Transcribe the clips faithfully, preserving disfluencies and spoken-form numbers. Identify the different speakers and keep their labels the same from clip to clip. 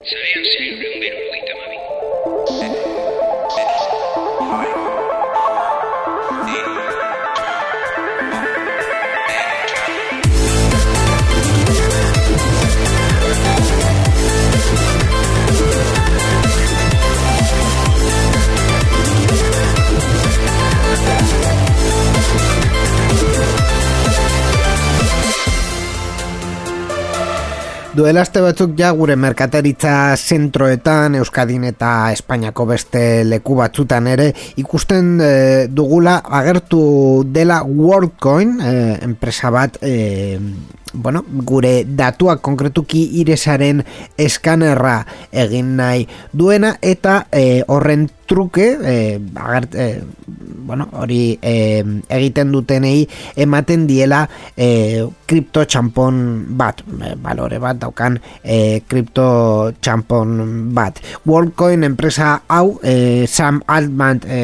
Speaker 1: Zarean zailuren berrogeita hamabi.
Speaker 2: Duela aste batzuk ja gure merkataritza zentroetan, Euskadin eta Espainiako beste leku batzutan ere ikusten e, dugula agertu dela WorldCoin, e, enpresa bat e, bueno, gure datuak konkretuki iresaren eskanerra egin nahi duena eta e, horren truke e, agert, e, bueno, hori e, egiten dutenei ematen diela e, kripto txampon bat, e, balore bat daukan e, kripto txampon bat. WorldCoin enpresa hau e, Sam Altman e,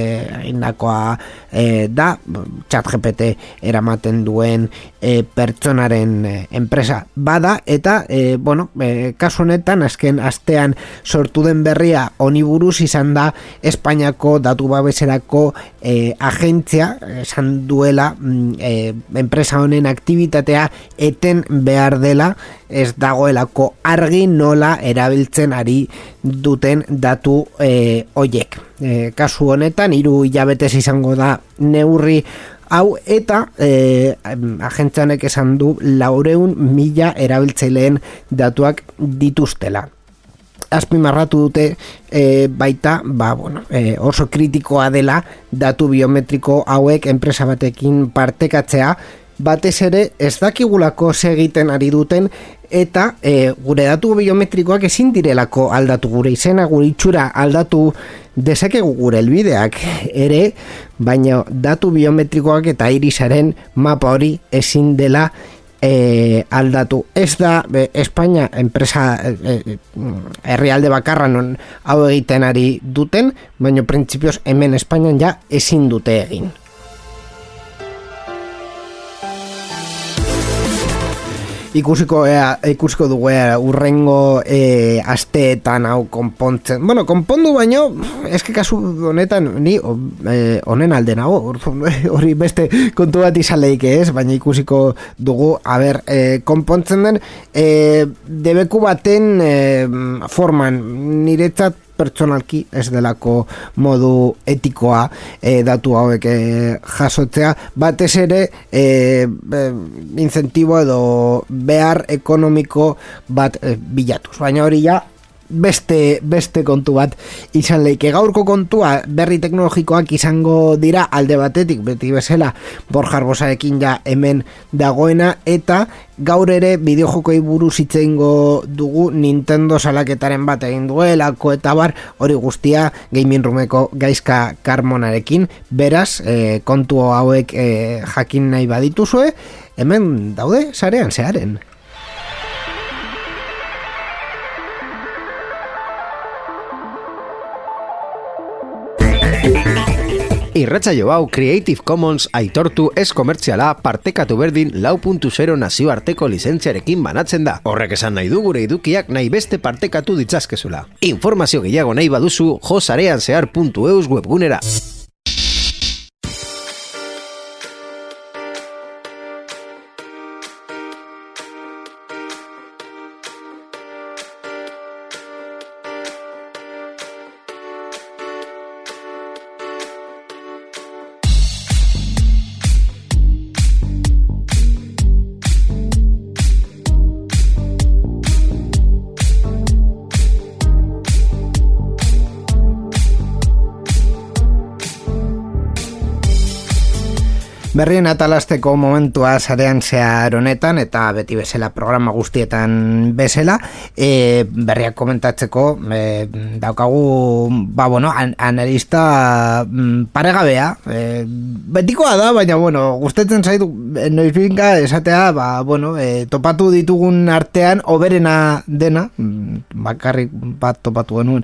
Speaker 2: indakoa e, da, ChatGPT eramaten duen e, pertsonaren e, enpresa bada eta e, bueno, e, kasu honetan azken astean sortu den berria honi buruz izan da Espainiako datu babeserako e, agentzia esan duela e, enpresa honen aktibitatea eten behar dela, ez dagoelako argi nola erabiltzen ari duten datu e, hoiek. E, kasu honetan hiru hilabetez izango da neurri hau eta e, agentzianek esan du laurehun mila erabiltzaileen datuak dituztela. Azpimarratu dute e, baita ba, bueno, e, oso kritikoa dela datu biometriko hauek enpresa batekin partekatzea, batez ere ez dakigulako segiten ari duten eta e, gure datu biometrikoak ezin direlako aldatu, gure izena, gure itxura aldatu dezakegu gure helbideak ere, baina datu biometrikoak eta irisaren mapa hori ezin dela E, aldatu. Ez da e, Espainia enpresa e, herrialde bakarra non hau egiten ari duten, baina printzipioz hemen Espainian ja ezin dute egin. Ikusiko, ea, ikusiko dugu ea, urrengo e, asteetan hau konpontzen. Bueno, konpondu baino, eske kasu honetan ni e, honen alde nago, hori beste kontu bat izan leike ez, baina ikusiko dugu, a ber, e, konpontzen den, e, debeku baten e, forman, niretzat pertsonalki ez delako modu etikoa e, datu hauek e, jasotzea, batez ere e, e, incentibo edo behar ekonomiko bat e, bilatuz, baina hori ja beste, beste kontu bat izan leike. Gaurko kontua berri teknologikoak izango dira alde batetik, beti bezala Borja Arbosarekin ja hemen dagoena, eta gaur ere bideojokoi buruz hitz egingo dugu, Nintendo salaketaren bat egin duelako eta bar, hori guztia Gaming Roomeko Gaizka Carmonarekin. Beraz, e, kontu hauek e, jakin nahi badituzue, hemen daude sarean zearen.
Speaker 3: Irratsaio hau Creative Commons aitortu ez komertziala partekatu berdin lau puntu zero nazioarteko lizentziarekin banatzen da. Horrek esan nahi du gure edukiak nahi beste partekatu ditzazkezula. Informazio gehiago nahi baduzu jo sareanzehar puntu eus webgunera.
Speaker 2: Berrien atalasteko momentua sarean zehar honetan eta beti bezala programa guztietan bezala e, berriak komentatzeko e, daukagu ba bueno, an, analista mm, paregabea e, betikoa da, baina bueno, gustatzen zaitu noizbinka esatea ba, bueno, e, topatu ditugun artean oberena dena, bakarrik bat topatu genuen.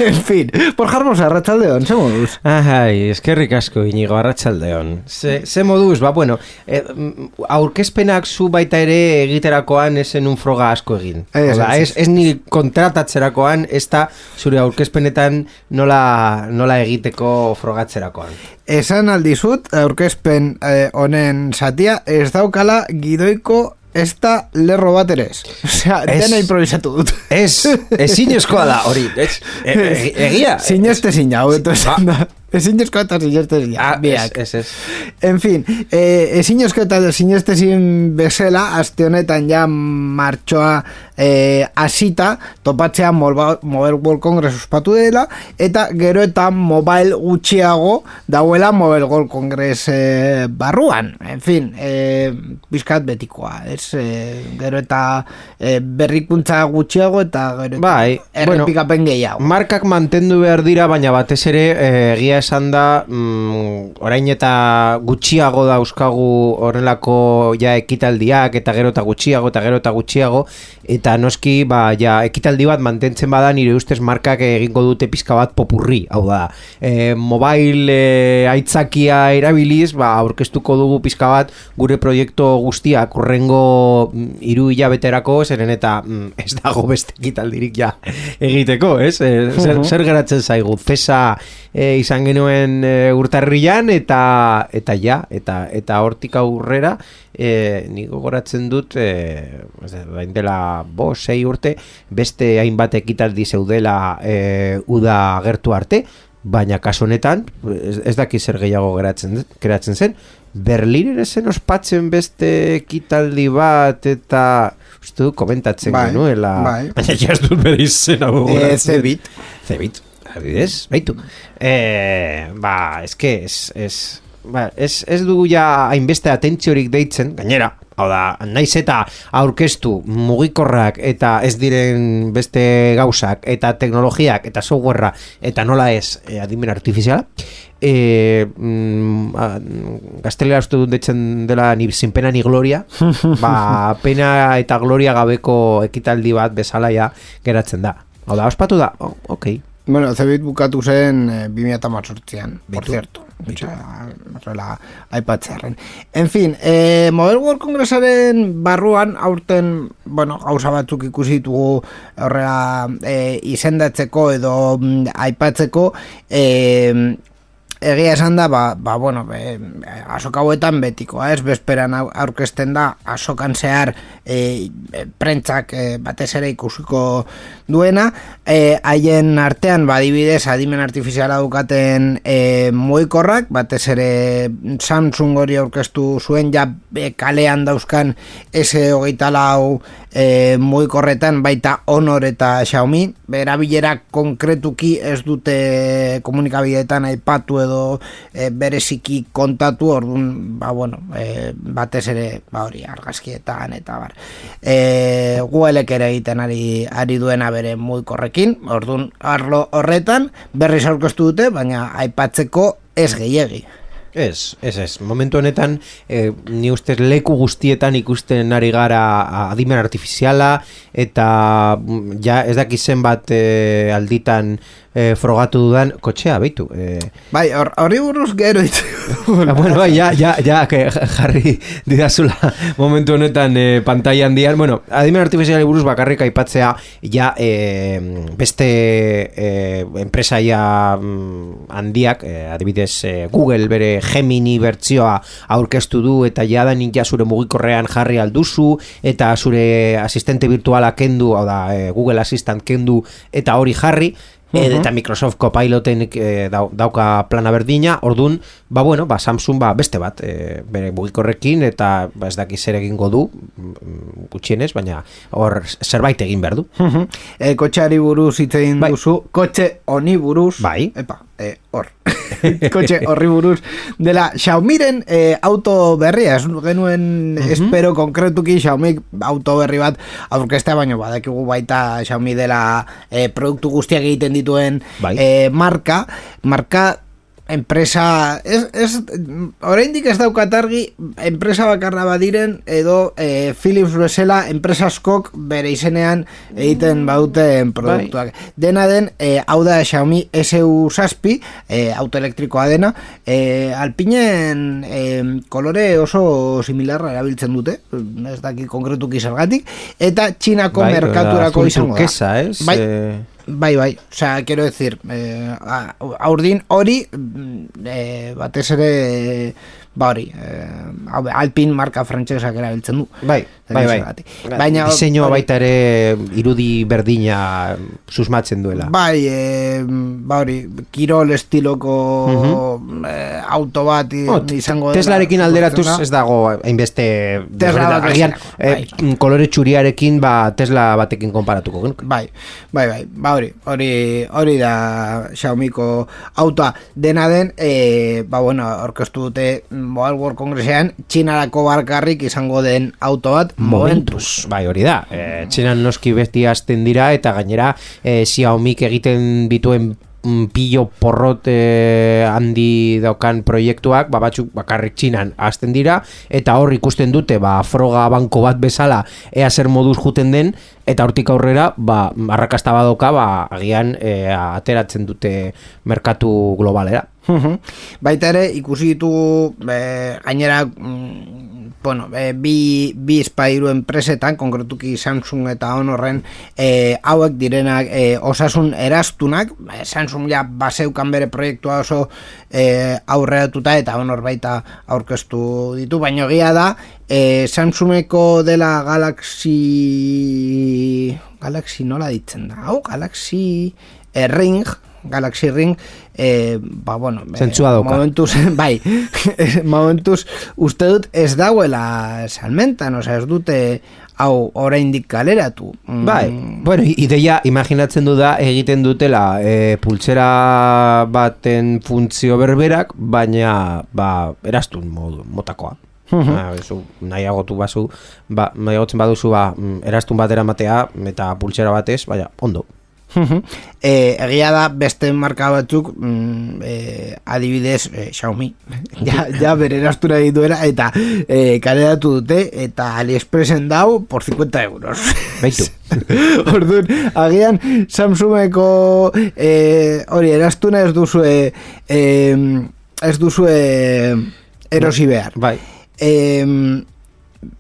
Speaker 2: En fin, por jarmosa, arratsaldeon, ze moduz?
Speaker 4: Ai, eskerrik asko Inigo, arratsaldeon. Ze, ze
Speaker 3: moduz, ba, bueno, eh, aurkezpenak zu baita ere egiterakoan esen un froga asko egin. Ez, Oda, ez, ez, ez ni kontratatzerakoan, ez da zure aurkezpenetan nola, nola egiteko frogatzerakoan.
Speaker 2: Esan aldizut, aurkezpen honen eh, satia, ez daukala gidoiko ez da lerro bat ere ez. Osea, dena improvisatu dut.
Speaker 3: Ez, ez zinezkoa da, hori. Ez, e, e, egia.
Speaker 2: Zinezte zina, hobeto esan da. Ezinezko eta zinezte zina.
Speaker 3: Ah, biak. Ez, ez.
Speaker 2: En fin, eh, ezinezko eta zinezte zin bezala, aste honetan ja martxoa eh, asita, topatzea Mobile World Congress ospatu dela, eta gero eta mobile gutxiago dauela Mobile World Congress eh, barruan. En fin, eh, bizkat betikoa, ez? Eh, gero eta eh, berrikuntza gutxiago eta gero eta
Speaker 3: bai,
Speaker 2: errepikapen bueno, gehiago.
Speaker 3: Markak mantendu behar dira, baina batez ere eh, egia esan da mm, orain eta gutxiago dauzkagu horrelako ja ekitaldiak eta gero eta gutxiago eta gero eta gutxiago eta noski ba, ja, ekitaldi bat mantentzen bada nire ustez markak egingo dute pizka bat popurri, hau da e, mobile e, aitzakia erabiliz ba, aurkeztuko dugu pizka bat gure proiektu guztiak urrengo hiru hilabeterako zeren eta mm, ez dago beste ekitaldirik ja egiteko, ez? E, zer, zer geratzen zaigu, fesa e, izan genuen e, urtarrian eta eta ja, eta eta hortik aurrera e, nik gogoratzen dut e, bain dela bo, sei urte beste hainbat ekitaldi zeudela e, uda gertu arte, baina kasu honetan ez, ez daki zer gehiago geratzen, geratzen zen Berlin ere zen ospatzen beste ekitaldi bat eta uste du komentatzen bai, genuela bai. Baina ja ez dut bere izena gogoratzen
Speaker 2: e, Zebit
Speaker 3: Zebit Adibidez, baitu. Eh, ba, eske, ez, ez, ba, ez, ez dugu ja hainbeste atentziorik deitzen, gainera, hau da, naiz eta aurkeztu mugikorrak eta ez diren beste gauzak eta teknologiak eta softwarea eta nola ez eh, adimen artifiziala, eh, mm, gaztelera uste dut deitzen dela ni sin pena ni gloria, ba, pena eta gloria gabeko ekitaldi bat bezala ja geratzen da. Hau da, ospatu da, oh, okei. Okay.
Speaker 2: Bueno, Zebit bukatu zen eh, bi mila hemezortzian, por cierto. Horrela aipatzearen. En fin, eh, Mobile World Congressaren barruan aurten, bueno, gauza batzuk ikusi ditugu horrela eh, izendatzeko edo mm, aipatzeko, eh, egia esan da, ba, ba bueno, be, azoka hauetan betikoa, ez, bezperan aurkezten da, azokan zehar e, prentzak e, batez ere ikusiko duena, haien e, artean, badibidez, adimen artifiziala dukaten e, mugikorrak, batez ere Samsung hori aurkeztu zuen, ja e, kalean dauzkan ese hogeita lau e, mugikorretan, baita Honor eta Xiaomi, berabilera konkretuki ez dute komunikabideetan aipatu edo e, bereziki kontatu, orduan, ba, bueno, e, batez ere, ba, hori, argazkietan, eta bar. E, Googlek ere egiten ari, ari duena bere mugikorrekin, orduan, arlo horretan, berriz aurkeztu dute, baina aipatzeko ez gehiegi.
Speaker 3: Ez, ez, ez. Momentu honetan, eh, ni ustez leku guztietan ikusten ari gara adimen artifiziala, eta ja ez dakizen bat eh, alditan eh, frogatu dudan kotxea, beitu. Eh.
Speaker 2: Bai, hori buruz gero ditu.
Speaker 3: Ah, bueno, bai, ja, ja, ja, que jarri didazula momentu honetan eh, pantalla handian. Bueno, adimen artifiziali buruz bakarrik aipatzea, ja, eh, beste eh, enpresa ja mm, handiak, eh, adibidez eh, Google bere Gemini bertzioa aurkeztu du eta jadanik ja zure mugikorrean jarri alduzu eta zure asistente virtuala kendu, hau da, e, Google Assistant kendu eta hori jarri. Uh-huh. Eta Microsoft Copiloten e, dau, dauka plana berdina, ordun, ba bueno, ba Samsung ba beste bat, e, bere mugikorrekin eta ba ez daki zer egingo du gutxienez, baina hor zerbait egin behar du.
Speaker 2: Uh-huh. E, kotxeari buruz hitz egin bai. Duzu, kotxe honi buruz,
Speaker 3: bai.
Speaker 2: Epa, e, hor. Kotxe horri buruz dela Xiaomiren e, auto berria, ez genuen uh-huh. espero konkretuki Xiaomi auto berri bat aurkeztea, baino badakigu baita Xiaomi dela e, produktu guztiak egiten dituen bai. e, marka, marka enpresa ez, ez, oraindik ez daukat argi enpresa bakarra badiren edo e, Philips bezala enpresa askok bere izenean egiten baduten produktuak. Bai. Dena den, e, hau da Xiaomi S U zazpi, e, autoelektrikoa dena, e, Alpinen e, kolore oso similarra erabiltzen dute, ez daki konkretuki zergatik, eta Txinako bai, merkaturako izango da.
Speaker 3: Turquesa, es?
Speaker 2: Bai,
Speaker 3: Eh...
Speaker 2: Bai, bai, o sea, quiero decir, eh, aurdin hori, eh, batez ere, ba hori, eh, Alpin marka frantsesak erabiltzen du.
Speaker 3: Bai, bai, bai. Baina diseño baita ere irudi berdina susmatzen duela.
Speaker 2: Bai, eh, ba hori, kirol estiloko uh-huh. eh, auto bat oh, izango dela.
Speaker 3: Teslarekin alderatuz ez dago hainbeste
Speaker 2: Tesla
Speaker 3: agian eh, kolore txuriarekin ba Tesla batekin konparatuko.
Speaker 2: Bai, bai, bai, ba hori, hori, hori da Xiaomiko autoa. Dena den, eh, ba bueno, orkestu dute Mobile World Congressean Txinarako barkarrik izango den auto bat Momentus.
Speaker 3: Bai, hori da. E, Txinan noski beti hasten dira eta gainera e, Xiaomik egiten dituen pillo porrot e, handi daukan proiektuak, ba, batzuk bakarrik Txinan hasten dira eta hor ikusten dute ba froga banko bat bezala ea zer moduz juten den eta hortik aurrera ba arrakasta badoka ba agian e, ateratzen dute merkatu globalera.
Speaker 2: Uh-huh. Baita ere ikusi ditugu e, gainera mm, bueno, e, bi, bi espairu enpresetan, konkretuki Samsung eta Honorren e, hauek direnak e, osasun erastunak, e, Samsung ja baseukan bere proiektua oso e, aurreratuta eta Honor baita aurkeztu ditu, baina egia da e, Samsungeko dela Galaxy Galaxy nola ditzen da, hau Galaxy e, Ring Galaxy Ring eh, ba bueno
Speaker 3: eh,
Speaker 2: momentuz, bai momentuz uste dut ez dauela salmentan, osea ez dute hau oraindik kaleratu.
Speaker 3: Bai, mm. bueno, ideia imaginatzen du da egiten dutela e, pultsera baten funtzio berberak, baina ba erastun modu motakoa. Uh-huh. Ah, eso, nahiagotu bazu, ba, nahiagotzen baduzu ba, erastun batera matea eta pultsera batez, baina ondo.
Speaker 2: Uh-huh. E, egia da beste marka batzuk mm, e, adibidez e, Xiaomi ja, ja bere erastura dituela eta e, kaleratu dute eta AliExpressen dau por cincuenta euros
Speaker 3: baitu.
Speaker 2: Orduan, agian Samsungeko e, hori erastuna ez duzue e, ez duzue erosi behar.
Speaker 3: Bai.
Speaker 2: E,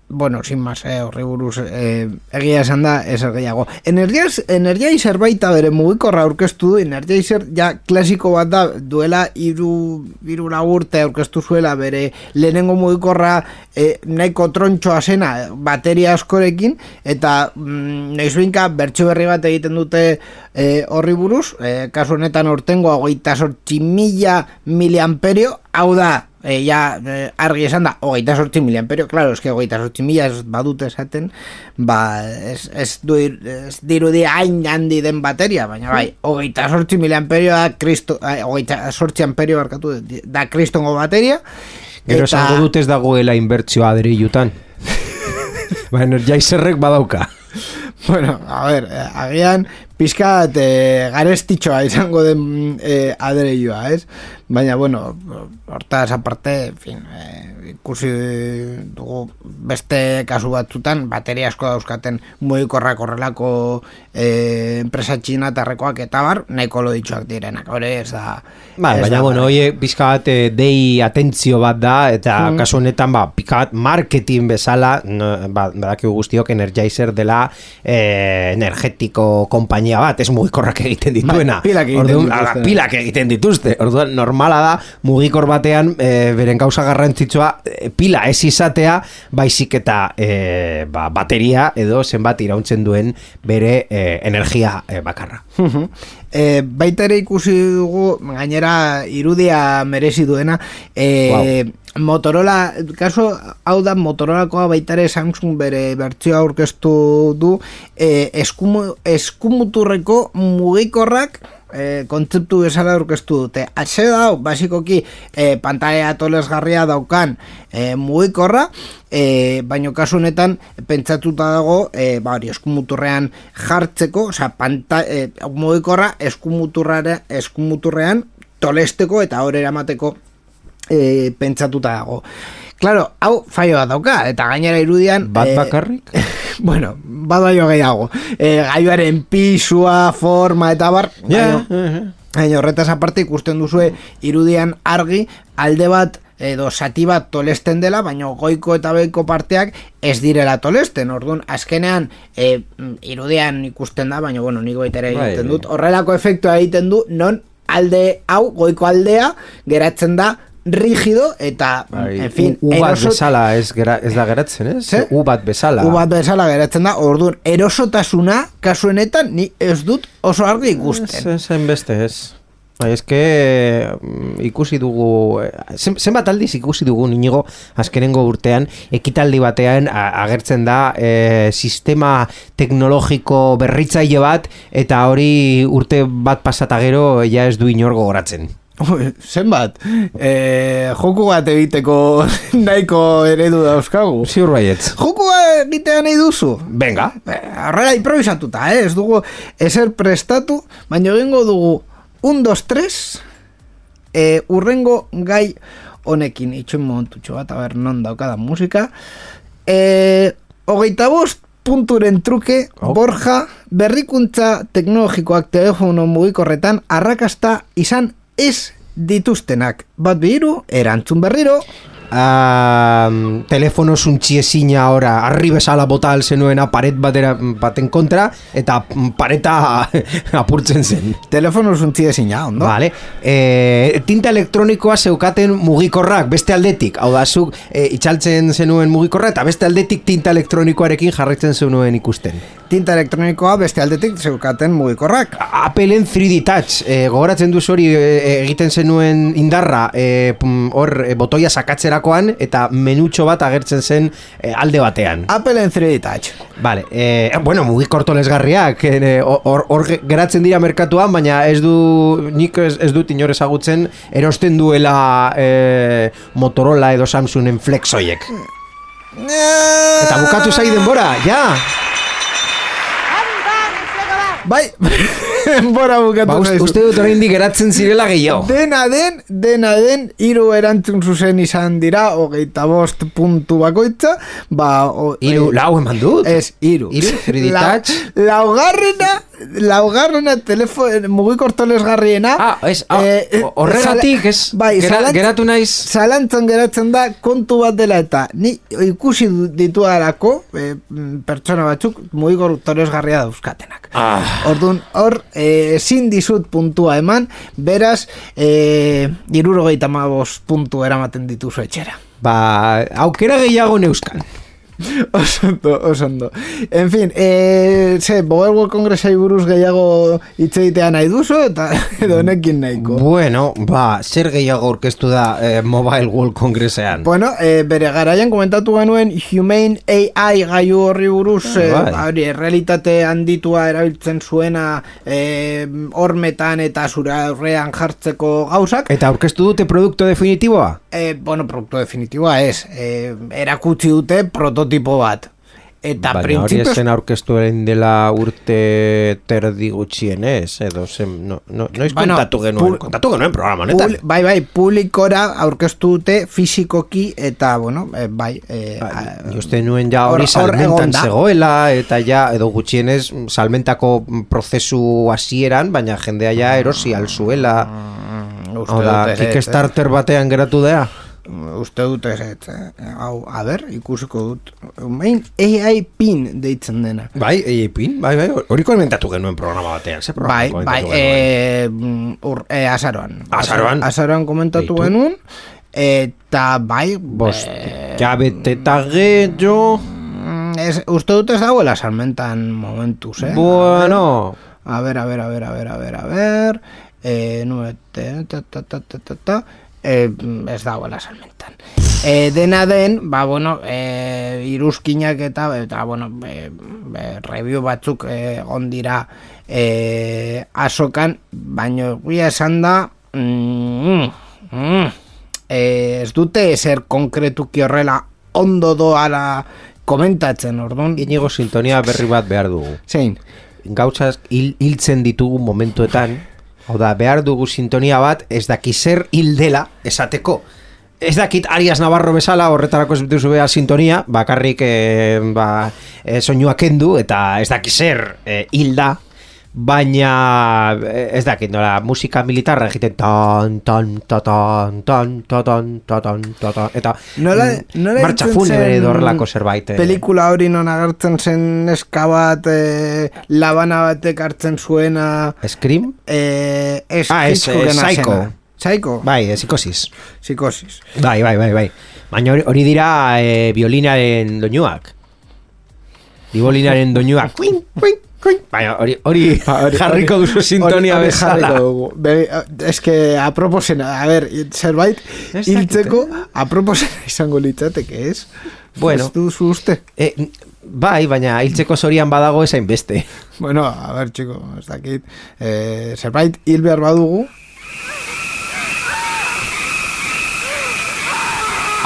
Speaker 2: bueno, sin más, eh, horri buruz eh, egia esan da, ez gehiago. Energizer baita bere mugikorra aurkeztu du, Energizer ja klasiko bat da, duela iru, iru urte aurkeztu zuela bere lehenengo mugikorra eh, nahiko trontxoa zena bateria askorekin, eta mm, nahizuinka bertso berri bat egiten dute eh, horri buruz, eh, kasu honetan ortengo hogeita zortzi mila miliamperio, hau da, E, ja, e, argi esan da, hogeita sortzi miliamperio, claro, eske hogeita sortzi mila ez badute esaten, ba, ez, ez, du, ez dirudi hain handi den bateria, baina bai, hogeita sortzi miliamperio da, kristo, hogeita sortzi amperio barkatu, da kristongo bateria.
Speaker 3: Gero esango dut ez dagoela inbertzioa adreilutan. Ba, Energizerrek badauka.
Speaker 2: Bueno, a ver, agian pizkat e, garestitxoa izango den e, adreilua, ez? Baina, bueno, hortaz aparte, en fin, e, ikusi dugu beste kasu batzutan, bateria asko dauzkaten mugikorrak horrelako e, enpresa txinatarrekoak eta bar, nahiko loditxoak direnak, hori ez da...
Speaker 3: Ba, ez baina, da, bueno, oie, pizkat e, dei atentzio bat da, eta mm. kasu honetan, ba, pizkat marketing bezala, no, ba, badakigu guztiok Energizer dela e, energetiko konpainia bat, ez mugikorrak egiten dituena.
Speaker 2: Ba, pilak egiten
Speaker 3: Orduan,
Speaker 2: dituzte.
Speaker 3: Ala, pilak egiten dituzte. Orduan, normala da, mugikor batean, e, beren gauza garrantzitsua, e, pila ez izatea, baizik eta e, ba, bateria edo zenbat irauntzen duen bere e, energia e, bakarra.
Speaker 2: E, baita ere ikusi dugu, gainera irudia merezi duena, e, wow. Motorola, kaso hau da Motorolakoa baita ere Samsung bere bertsioa aurkeztu du, e, eskumu, eskumuturreko mugikorrak e, kontzeptu bezala aurkeztu dute. Atze da, basikoki e, pantalla tolesgarria daukan e, mugikorra, e, baino kasu honetan pentsatuta dago e, ba, hori, eskumuturrean jartzeko, osea, panta, e, mugikorra eskumuturrean tolesteko eta hor eramateko e, pentsatuta dago. Claro, hau faioa dauka, eta gainera irudian...
Speaker 3: Bat bakarrik?
Speaker 2: Eh, bueno, bat baino gehiago. Eh, gaiuaren pisua, forma eta bar...
Speaker 3: Ja, yeah,
Speaker 2: yeah. Horretaz aparte ikusten duzue irudian argi alde bat edo sati bat tolesten dela, baina goiko eta behiko parteak ez direla tolesten. Orduan, azkenean e, irudian ikusten da, baina bueno, nik baita ere egiten dut. Horrelako efektua egiten du, non alde hau, goiko aldea, geratzen da rigido eta,
Speaker 3: Ai,
Speaker 2: en fin,
Speaker 3: U, U bat
Speaker 2: erosot...
Speaker 3: bezala ez, gera, ez da geratzen, ez?
Speaker 2: Ze?
Speaker 3: U bat bezala.
Speaker 2: U bat bezala geratzen da, orduan, erosotasuna kasuenetan ni ez dut oso argi ikusten.
Speaker 3: Ez, ez, beste, ez. Bai, eske ikusi dugu, zen, zenbat aldiz ikusi dugu Inigo azkenengo urtean, ekitaldi batean a, agertzen da e, sistema teknologiko berritzaile bat, eta hori urte bat pasata gero ja ez du inor gogoratzen.
Speaker 2: Zenbat, e, joku bat egiteko nahiko eredu dauzkagu.
Speaker 3: Ziur baietz.
Speaker 2: Joku bat egitea nahi duzu?
Speaker 3: Venga.
Speaker 2: Horrela improvisatuta, eh? Ez dugu ezer prestatu, baina egingo dugu un, dos, tres, e, urrengo gai honekin, itxoin momentutxo bat, a ber, non daukada musika. E, hogeita bost punturen truke, oh. Borja, berrikuntza teknologikoak telefono mugikorretan arrakasta izan ez dituztenak. Bat bihiru, erantzun berriro.
Speaker 3: Uh, telefono zuntxiezina ora arri bezala bota alzenuena paret batera, baten kontra eta pareta apurtzen zen.
Speaker 2: Telefono zuntxiezina, ondo?
Speaker 3: Vale. E, tinta elektronikoa zeukaten mugikorrak beste aldetik, hau da zuk e, itxaltzen zenuen mugikorra eta beste aldetik tinta elektronikoarekin jarraitzen zenuen ikusten.
Speaker 2: Tinta elektronikoa beste aldetik zeukaten mugikorrak.
Speaker 3: Appleen three D Touch, e, gogoratzen duz hori e, egiten zenuen indarra hor e, e, botoia sakatzera eta menutxo bat agertzen zen e, alde batean.
Speaker 2: Appleen three D Touch.
Speaker 3: Vale, e, bueno, mugikor tolesgarriak hor e, geratzen dira merkatuan, baina ez du nik ez, ez dut inor ezagutzen erosten duela e, Motorola edo Samsungen flexoiek. Eta bukatu zai denbora, ja!
Speaker 2: Bai, bora bukatu
Speaker 3: ba, uste, uste dut oraindik geratzen zirela gehiago.
Speaker 2: Dena den, dena den, hiru erantzun zuzen izan dira, hogeita bost puntu bakoitza, ba... O,
Speaker 3: Hiru,
Speaker 2: e,
Speaker 3: lau eman dut?
Speaker 2: Ez, hiru.
Speaker 3: Hiru, three D Touch?
Speaker 2: Laugarrena, laugarrena telefon, mugikor tolesgarriena...
Speaker 3: Ah, ez, ah, eh, horregatik, ez,
Speaker 2: bai,
Speaker 3: gera,
Speaker 2: zalantz,
Speaker 3: geratu naiz...
Speaker 2: Zalantzan geratzen da kontu bat dela eta ni ikusi dituarako e, pertsona batzuk mugikor tolesgarria dauzkatenak.
Speaker 3: Ah...
Speaker 2: Orduan, hor, ezin dizut puntua eman, beraz, e, irurogeita hamabost puntu eramaten dituzu etxera.
Speaker 3: Ba, aukera gehiago neuskan.
Speaker 2: Osondo, osondo. En fin, e, ze, Mobile World Congressai buruz gehiago hitzegitea nahi duzu, eta edo honekin nahiko.
Speaker 3: Bueno, ba, zer gehiago aurkeztu da eh, Mobile World Congressean?
Speaker 2: Bueno, e, bere garaian komentatu genuen Humane A I gaiu horri buruz, e, hori, realitate handitua erabiltzen zuena e, hormetan eta zure aurrean jartzeko gauzak.
Speaker 3: Eta aurkeztu dute produktu definitiboa?
Speaker 2: E, bueno, produktu definitiboa ez. E, erakutsi dute prototipo bat. Eta
Speaker 3: baina hori esen aurkeztu dela urte terdi gutxienez, edo zen, no, no, noiz bueno, kontatu genuen, pu, kontatu genuen programa, netan.
Speaker 2: Pul, bai, bai, publikora aurkeztu dute fisikoki, eta, bueno, e, bai... E,
Speaker 3: ba, uste nuen ja hori or, salmentan zegoela, eta ja, edo gutxienez, salmentako prozesu hasieran, baina jendea ja erosi alzuela. Mm, Hau da, Kickstarter batean geratu dea?
Speaker 2: Uste dut ez, eh? Hau, a ber, ikusiko dut. Main A I pin deitzen dena.
Speaker 3: Bai, A I pin, bai, bai, hori komentatu genuen programa batean, ze programa
Speaker 2: bai, bai, e, ur, e, azaroan.
Speaker 3: Azaroan?
Speaker 2: Azaroan komentatu Beitu. genuen, eta bai...
Speaker 3: Bost, e, jabet eta gehiago...
Speaker 2: Ez, uste dut ez dagoela salmentan momentuz, eh?
Speaker 3: Bueno...
Speaker 2: A ber, a ber, a ber, a ber, a ber, a ber... Eh, nuete, ta, ta, ta, ta, ta, ta... Eh, ez dagoela salmentan. Eh, dena den, ba, bueno, eh, iruzkinak eta, eta bueno, eh, eh, review batzuk eh, ondira eh, asokan, baina guia esan da, mm, mm, eh, ez dute ezer konkretuki horrela ondo doala komentatzen, orduan.
Speaker 3: Inigo sintonia berri bat behar dugu.
Speaker 2: Zein?
Speaker 3: Gauzak hil, hiltzen ditugu momentuetan, Hau da, behar dugu sintonia bat, ez daki zer hil dela esateko. Ez dakit Arias Navarro bezala horretarako ez duzu behar sintonia, bakarrik e, ba, e, soinua kendu eta ez dakit zer e, hilda, baina ez dakit nola musika militarra egiten tan tan tan tan tan tan tan eta
Speaker 2: nola, nola
Speaker 3: martxa funebre edo horrelako zerbait.
Speaker 2: Pelikula hori non agertzen zen neska bat e, labana batek hartzen zuena
Speaker 3: Scream?
Speaker 2: Eh, es,
Speaker 3: ah, es, es Psycho.
Speaker 2: Psycho?
Speaker 3: Bai, psikosis.
Speaker 2: Psikosis.
Speaker 3: Bai, bai, bai, bai. Baina hori, hori dira e, violinaren doinuak. Violinaren doinuak. Kuin, kuin, kuin. Baina hori, hori jarriko duzu sintonia bezala.
Speaker 2: Ez que aproposena, a ver, zerbait hiltzeko aproposena izango litzateke, ez?
Speaker 3: Bueno.
Speaker 2: Ez duzu uste?
Speaker 3: E, bai, baina hiltzeko zorian badago esain beste.
Speaker 2: Bueno, a ver, txiko, ez dakit. Eh, zerbait hil behar badugu,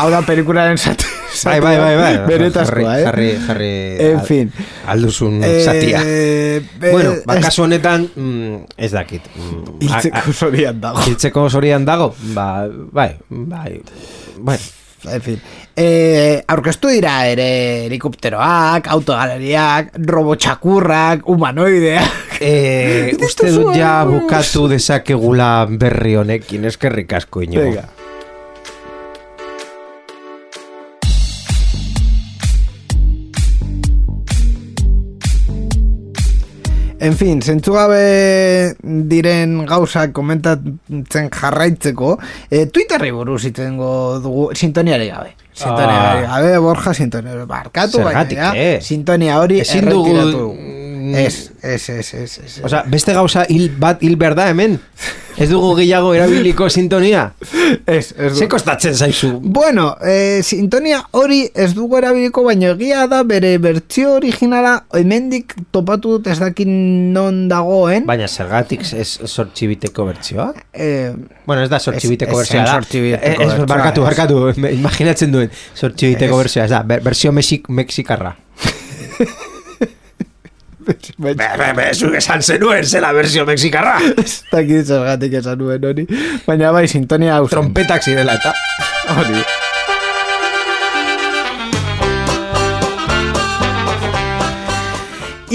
Speaker 2: hau da pelikularen zati.
Speaker 3: Bai, bai, bai, bai.
Speaker 2: Beretazkoa, eh?
Speaker 3: Jarri, jarri.
Speaker 2: En fin.
Speaker 3: Alduzun
Speaker 2: eh,
Speaker 3: zatia.
Speaker 2: Eh,
Speaker 3: bueno, bakaso honetan, mm, ez dakit.
Speaker 2: Mm, hiltzeko zorian dago.
Speaker 3: Hiltzeko zorian dago? Ba, bai, bai. Bueno.
Speaker 2: En fin. Eh, aurkeztu dira ere helikopteroak, autogaleriak, robotxakurrak, humanoideak.
Speaker 3: Eh, uste dut ja bukatu dezakegula berri honekin, eskerrik asko ino.
Speaker 2: Venga. En fin, zentzugabe diren gauzak komentatzen jarraitzeko, eh, Twitterri buruz itzengo dugu sintoniari gabe. Sintoniari
Speaker 3: ah.
Speaker 2: gabe, Borja, sintoniari barkatu.
Speaker 3: Zergatik,
Speaker 2: baina,
Speaker 3: eh?
Speaker 2: Sintonia hori
Speaker 3: ezin
Speaker 2: erretiratu.
Speaker 3: dugu...
Speaker 2: Ez, ez, ez, ez, ez.
Speaker 3: O sea, beste gauza hil bat hil behar da hemen? Ez dugu gehiago erabiliko sintonia?
Speaker 2: Ez, ez
Speaker 3: Ze kostatzen zaizu?
Speaker 2: Bueno, eh, sintonia hori ez dugu erabiliko, baina egia da bere bertsio originala hemendik topatu dut ez dakin non dagoen.
Speaker 3: Baina zergatik ez sortxibiteko bertsioa?
Speaker 2: Eh,
Speaker 3: bueno, ez da sortxibiteko bertsioa da.
Speaker 2: Sortxibiteko
Speaker 3: ez, barkatu, barkatu, imaginatzen duen sortxibiteko bertsioa, ez da, bersio mexikarra. Zuk esan zenuen zela versio mexikarra.
Speaker 2: Ez dakit zergatik esan nuen hori. Baina bai, sintonia hau zen.
Speaker 3: Trompetak zirela eta hori.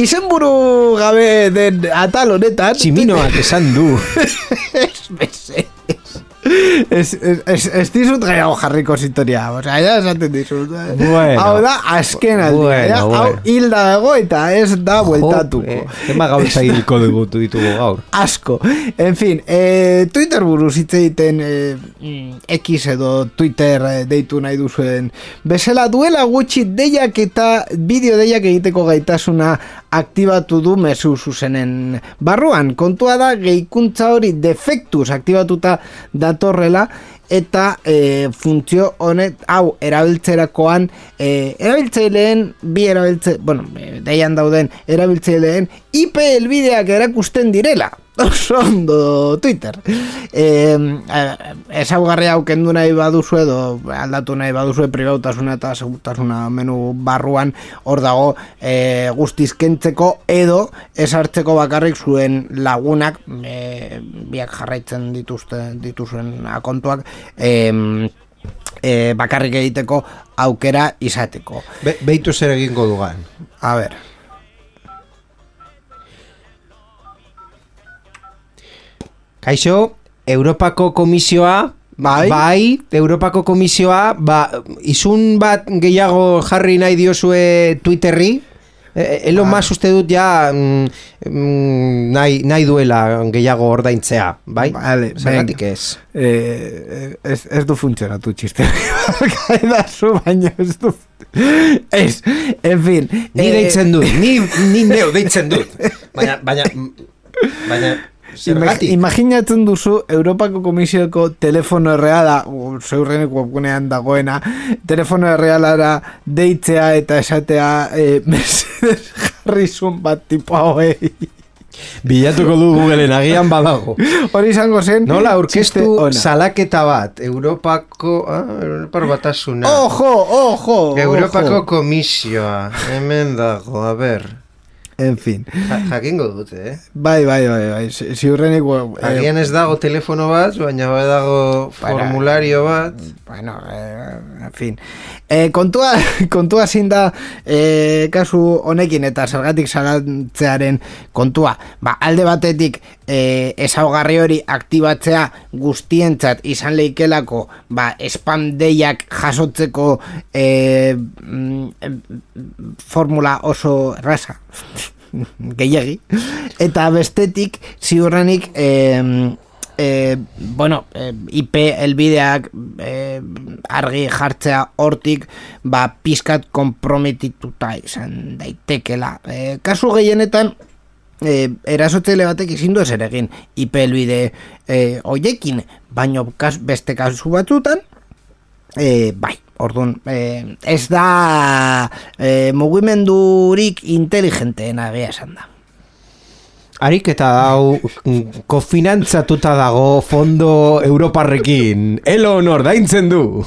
Speaker 2: Izenburu gabe den atal honetan
Speaker 3: Tximinoak esan du.
Speaker 2: Ez beze Ez, ez, ez, ez dizut gaiago jarriko sintonia, o sea, ya esaten dizut.
Speaker 3: Bueno,
Speaker 2: hau da, azken aldia,
Speaker 3: bueno,
Speaker 2: ja,
Speaker 3: bueno.
Speaker 2: hau hilda dago eta ez da bueltatuko.
Speaker 3: Eh, Ema gauza hilko dugu ditugu gaur.
Speaker 2: Asko. En fin, eh, Twitter buruz hitz egiten eh, X edo Twitter eh, deitu nahi duzuen bezala duela gutxi deiak eta bideo deiak egiteko gaitasuna aktibatu du mezu zuzenen barruan. Kontua da, gehikuntza hori defektuz aktibatuta datorrela eta e, funtzio honet hau erabiltzerakoan e, erabiltzaileen bi erabiltze, bueno, deian dauden erabiltzaileen I P helbideak erakusten direla. Oso ondo Twitter. Eh, ezaugarri hau kendu nahi baduzu edo aldatu nahi baduzu pribautasuna eta segurtasuna menu barruan hor dago eh, guztiz kentzeko edo esartzeko bakarrik zuen lagunak eh, biak jarraitzen dituzte, dituzuen akontuak eh, eh, bakarrik egiteko aukera izateko.
Speaker 3: Be, Beitu zer egingo dugan.
Speaker 2: A ber.
Speaker 3: Kaixo, Europako Komisioa,
Speaker 2: bai,
Speaker 3: bai Europako Komisioa, ba, izun bat gehiago jarri nahi diozue Twitterri, Elon Musk uste dut ja mm, nahi, nahi duela gehiago ordaintzea, bai?
Speaker 2: Vale,
Speaker 3: zergatik ez?
Speaker 2: Eh, ez, ez du funtzionatu txiste. Kaidazu, baina ez du... Ez, en fin.
Speaker 3: Ni eh, deitzen dut, ni, ni neu deitzen dut. Baina, baina, baina... Zergatik?
Speaker 2: Imaginatzen duzu Europako Komisioko telefono erreala, zeurrenek webgunean dagoena, telefono errealara deitzea eta esatea eh, Mercedes Harrison bat tipo hauei.
Speaker 3: Bilatuko du Googleen, agian badago.
Speaker 2: Hori izango zen.
Speaker 3: Nola aurkeztu salaketa bat, Europako, ah, Europar batasuna.
Speaker 2: Ojo, ojo.
Speaker 3: Europako
Speaker 2: ojo.
Speaker 3: Komisioa, hemen dago, a ber.
Speaker 2: En fin.
Speaker 3: Ja, jakingo dute, eh?
Speaker 2: Bai, bai, bai, bai. Ziurrenik... Eh,
Speaker 3: Agian ez dago telefono bat, baina bai dago formulario bat.
Speaker 2: Bueno, eh, en fin. Eh, kontua, kontua zin da eh, kasu honekin eta zergatik salatzearen kontua. Ba, alde batetik eh, ezaugarri hori aktibatzea guztientzat izan leikelako ba, spam deiak jasotzeko eh, mm, formula oso erraza. Gehiagi. Eta bestetik ziurrenik eh, eh, bueno, eh, I P elbideak eh, argi jartzea hortik ba pizkat konprometituta izan daitekela. Eh, kasu gehienetan eh, erasotzaile batek ezin du ezer egin I P elbide eh, hoiekin, baino kas, beste kasu batzutan eh, bai. Orduan, eh, ez da eh, mugimendurik inteligenteena egia esan da.
Speaker 3: Harik eta hau kofinantzatuta dago fondo europarrekin. Elon ordaintzen du.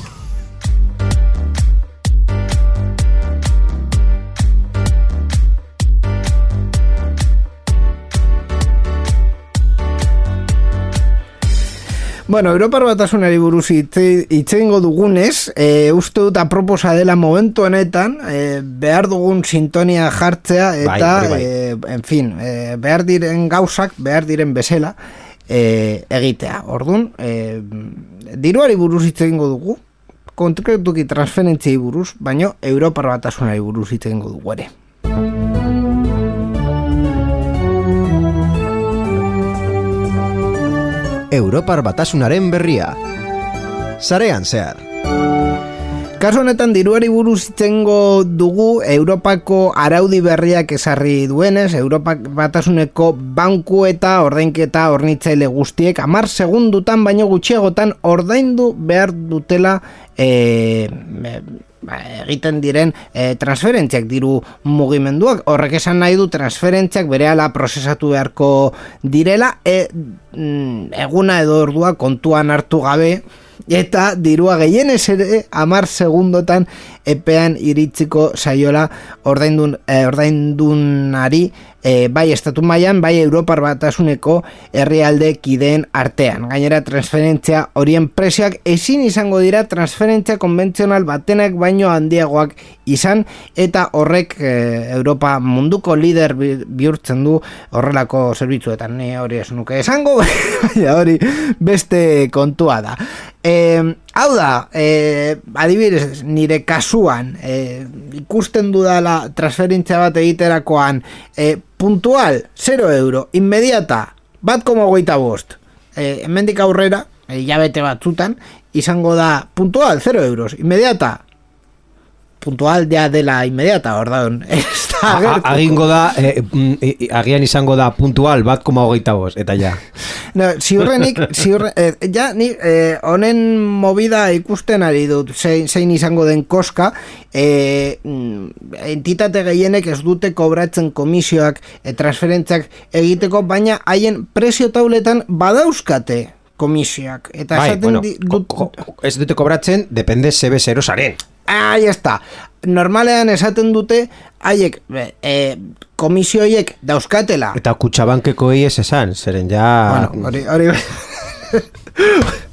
Speaker 2: Bueno, Europar Batasunari buruz itzengo dugunez, e, uste dut aproposa dela momentu honetan, e, behar dugun sintonia jartzea, eta, bai, bai. E, en fin, e, behar diren gauzak, behar diren bezala, e, egitea. Orduan, e, diruari buruz itzengo dugu, konkretuki transferentziai buruz, baino Europar Batasunari buruz itzengo dugu ere.
Speaker 3: Europar Batasunaren berria. Sarean zehar.
Speaker 2: Kasu honetan diruari buruz itzengo dugu Europako araudi berriak ezarri duenez, Europak Batasuneko banku eta ordainketa hornitzaile guztiek hamar segundutan baino gutxiagotan ordaindu behar dutela e, e, egiten diren e, transferentziak, diru mugimenduak. Horrek esan nahi du transferentziak berehala prozesatu beharko direla, e, eguna edo ordua kontuan hartu gabe, eta dirua gehienez ere hamar segundotan epean iritsiko saiola ordaindun, eh, ordaindunari eh, bai estatu mailan, bai Europar Batasuneko herrialde kideen artean. Gainera transferentzia horien prezioak ezin izango dira transferentzia konbentzional batenak baino handiagoak izan, eta horrek eh, Europa munduko lider bihurtzen du horrelako zerbitzuetan. Ni hori ez nuke esango, baina hori beste kontua da. Eh, hau da, eh, adibidez, nire kasuan eh, ikusten dudala transferentzia bat egiterakoan eh, puntual, zero euro, inmediata, bat koma hogeita bost, eh, hemendik aurrera, hilabete batzutan, izango da puntual, zero euros, inmediata, puntual ja dela inmediata, ordaun,
Speaker 3: agingo da, eh, eh, agian izango da puntual bat koma hogeita bost, eta ja.
Speaker 2: No, ziurrenik, ziurre, eh, ja, ni eh, honen movida ikusten ari dut, zein, zein izango den koska, eh, entitate gehienek ez dute kobratzen komisioak, eh, transferentziak egiteko, baina haien prezio tauletan badauzkate komisioak. Eta
Speaker 3: bai, bueno,
Speaker 2: di, dut,
Speaker 3: ko, ko, ez dute kobratzen, depende zebe zero zaren.
Speaker 2: Ahí está. Normalean esaten dute haiek e, komisioiek dauzkatela.
Speaker 3: Eta Kutxabankeko ez esan, zeren ja...
Speaker 2: Bueno, hori... hori...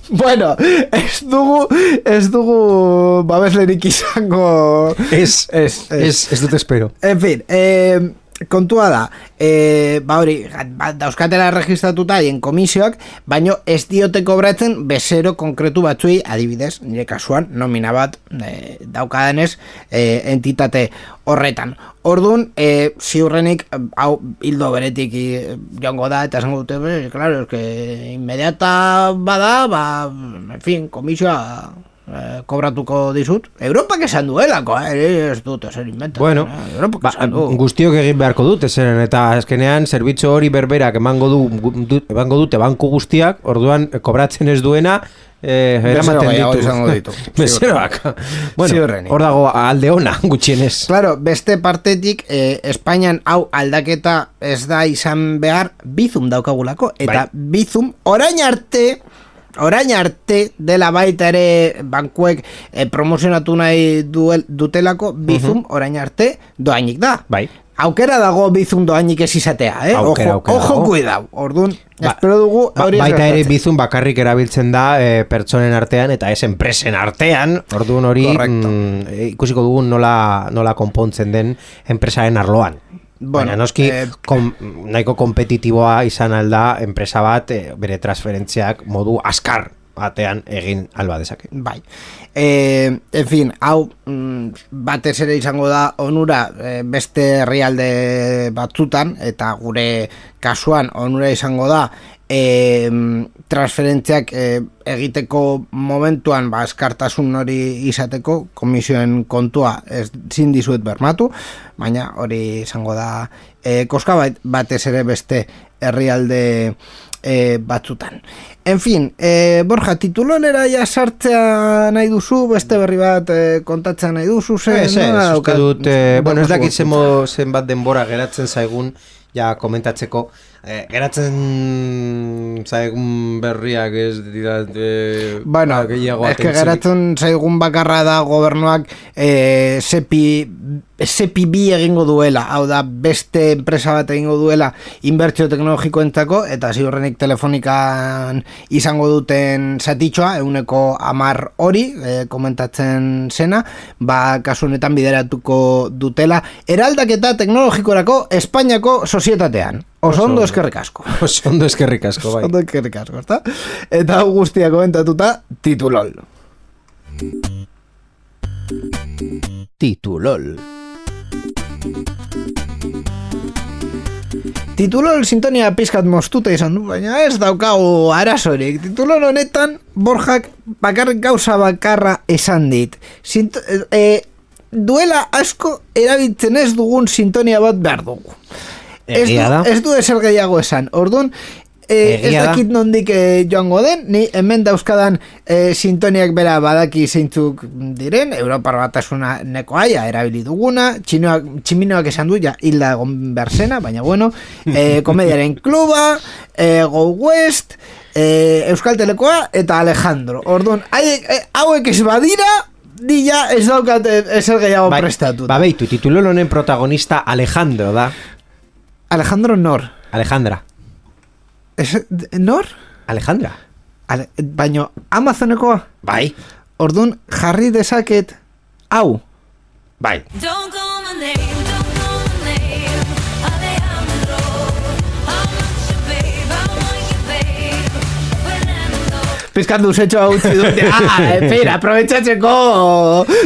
Speaker 2: bueno, ez dugu, ez dugu babeslerik izango...
Speaker 3: Ez, ez, ez, ez dut espero.
Speaker 2: En fin, eh... kontua da, e, ba hori, ba, dauzkatela registratuta haien komisioak, baino ez diote kobratzen bezero konkretu batzuei, adibidez, nire kasuan, nomina bat e, daukadanez e, entitate horretan. Orduan, e, ziurrenik, hau hildo beretik e, joango da, eta esango dute, be, claro, es que inmediata bada, ba, en fin, komisioa... Eh, kobratuko dizut. Europak esan duelako, eh? Ez dut ezer inventa.
Speaker 3: Bueno,
Speaker 2: eh? ba,
Speaker 3: du. Guztiok egin beharko dute zeren, eta azkenean zerbitzu hori berberak emango du, du emango dute banku guztiak, orduan kobratzen ez duena eh, eramaten ditu.
Speaker 2: ditu.
Speaker 3: Bezeroak. Bueno, hor dago alde ona gutxienez.
Speaker 2: Claro, beste partetik eh, Espainian hau aldaketa ez da izan behar Bizum daukagulako, eta bai. Bizum orain arte Orain arte dela baita ere bankuek eh, promozionatu nahi duel, dutelako Bizum, uh-huh. Orain arte doainik da.
Speaker 3: Bai.
Speaker 2: aukera dago bizun doainik ez izatea, eh?
Speaker 3: Aukera,
Speaker 2: ojo,
Speaker 3: aukera
Speaker 2: ojo
Speaker 3: dago.
Speaker 2: kuidau. Orduan,
Speaker 3: Ba-
Speaker 2: espero dugu
Speaker 3: Ba,
Speaker 2: hori ez
Speaker 3: baita ere
Speaker 2: gertatzen.
Speaker 3: bizun bakarrik erabiltzen da e, pertsonen artean eta ez enpresen artean. Orduan hori
Speaker 2: Correcto.
Speaker 3: mm, e, ikusiko dugun nola, nola konpontzen den enpresaren arloan.
Speaker 2: Bueno,
Speaker 3: Baina noski
Speaker 2: eh,
Speaker 3: kom, nahiko kompetitiboa izan alda enpresa bat e, bere transferentziak modu askar batean egin alba dezake.
Speaker 2: Bai. E, en fin, hau mm, batez ere izango da onura e, beste herrialde batzutan, eta gure kasuan onura izango da e, transferentziak e, egiteko momentuan ba, eskartasun hori izateko, komisioen kontua ez zin dizuet bermatu, baina hori izango da e, koska bat, batez ere beste herrialde e, batzutan. En fin, e, Borja, titulonera ja sartzea nahi duzu, beste berri bat e, kontatzea nahi duzu, zen?
Speaker 3: Ez, ez,
Speaker 2: nola
Speaker 3: uste
Speaker 2: daukat-
Speaker 3: dut, eh, bueno, ez dakit
Speaker 2: daukazu
Speaker 3: zenbo zenbat denbora geratzen zaigun, ja komentatzeko, eh, geratzen zaigun berriak ez dira eh,
Speaker 2: Bueno,
Speaker 3: ba, gehiago
Speaker 2: es que
Speaker 3: atentzirik.
Speaker 2: geratzen zaigun bakarra da gobernuak e, sepi, sepi bi egingo duela, hau da beste enpresa bat egingo duela inbertsio teknologikoentzako, eta ziurrenik telefonikan izango duten zatitxoa, euneko amar hori, e, komentatzen zena, ba kasu honetan bideratuko dutela eraldaketa teknologikorako Espainiako sozietatean. Oso ondo eskerrik asko.
Speaker 3: Oso ondo eskerrik asko, bai.
Speaker 2: Ondo eskerrik asko, ezta? Eta hau guztia komentatuta titulol.
Speaker 3: Titulol.
Speaker 2: Titulol sintonia pizkat moztuta izan du, baina ez daukagu arazorik. Titulol honetan Borjak bakarrik gauza bakarra esan dit. Sint e, duela asko erabiltzen ez dugun sintonia bat behar dugu. Ez du,
Speaker 3: Egia da.
Speaker 2: ez du ezer gehiago esan. Orduan, e, ez
Speaker 3: Egia da.
Speaker 2: dakit nondik e, joango den, ni hemen dauzkadan e, sintoniak bera badaki zeintzuk diren, Europar Batasuna nekoaia erabili duguna, txinoak, tximinoak esan du, ja, hilda egon berzena, baina bueno, e, Komediaren Kluba, e, Go West, e, Euskal Telekoa eta Alejandro. Orduan, haiek, e, hauek ez badira, di ja ez daukat e, ezer gehiago
Speaker 3: Bai,
Speaker 2: prestatuta.
Speaker 3: ba beitu, titulol honen protagonista Alejandro da.
Speaker 2: Alejandro nor?
Speaker 3: Alejandra.
Speaker 2: Es, nor?
Speaker 3: Alejandra.
Speaker 2: Ale, baino Amazonekoa?
Speaker 3: Bai.
Speaker 2: Orduan jarri dezaket hau.
Speaker 3: Bai.
Speaker 4: Don't call my name, don't call my name, Alejandro. I want you, babe, I want you, babe, Fernando.
Speaker 2: Pizkat duzetxo hau utzi dute. Ah, espera, aprobetxatzeko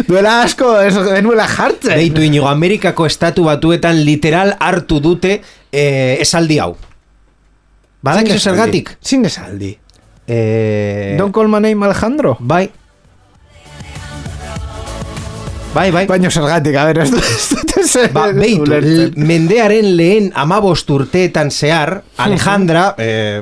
Speaker 2: duela asko ez genuela jartzen.
Speaker 3: Beitu inigo, Amerikako estatu batuetan literal hartu dute eh, esaldi hau. Badakizu zergatik?
Speaker 2: Zin esaldi.
Speaker 3: Eh,
Speaker 2: Don't call my name Alejandro.
Speaker 3: Bai. Bai, bai.
Speaker 2: Baino zergatik, a ver, ez dut ez dut ezer
Speaker 3: Ba, beitu,
Speaker 2: ulertzen.
Speaker 3: l- mendearen lehen amabost urteetan zehar, Alejandra, eh,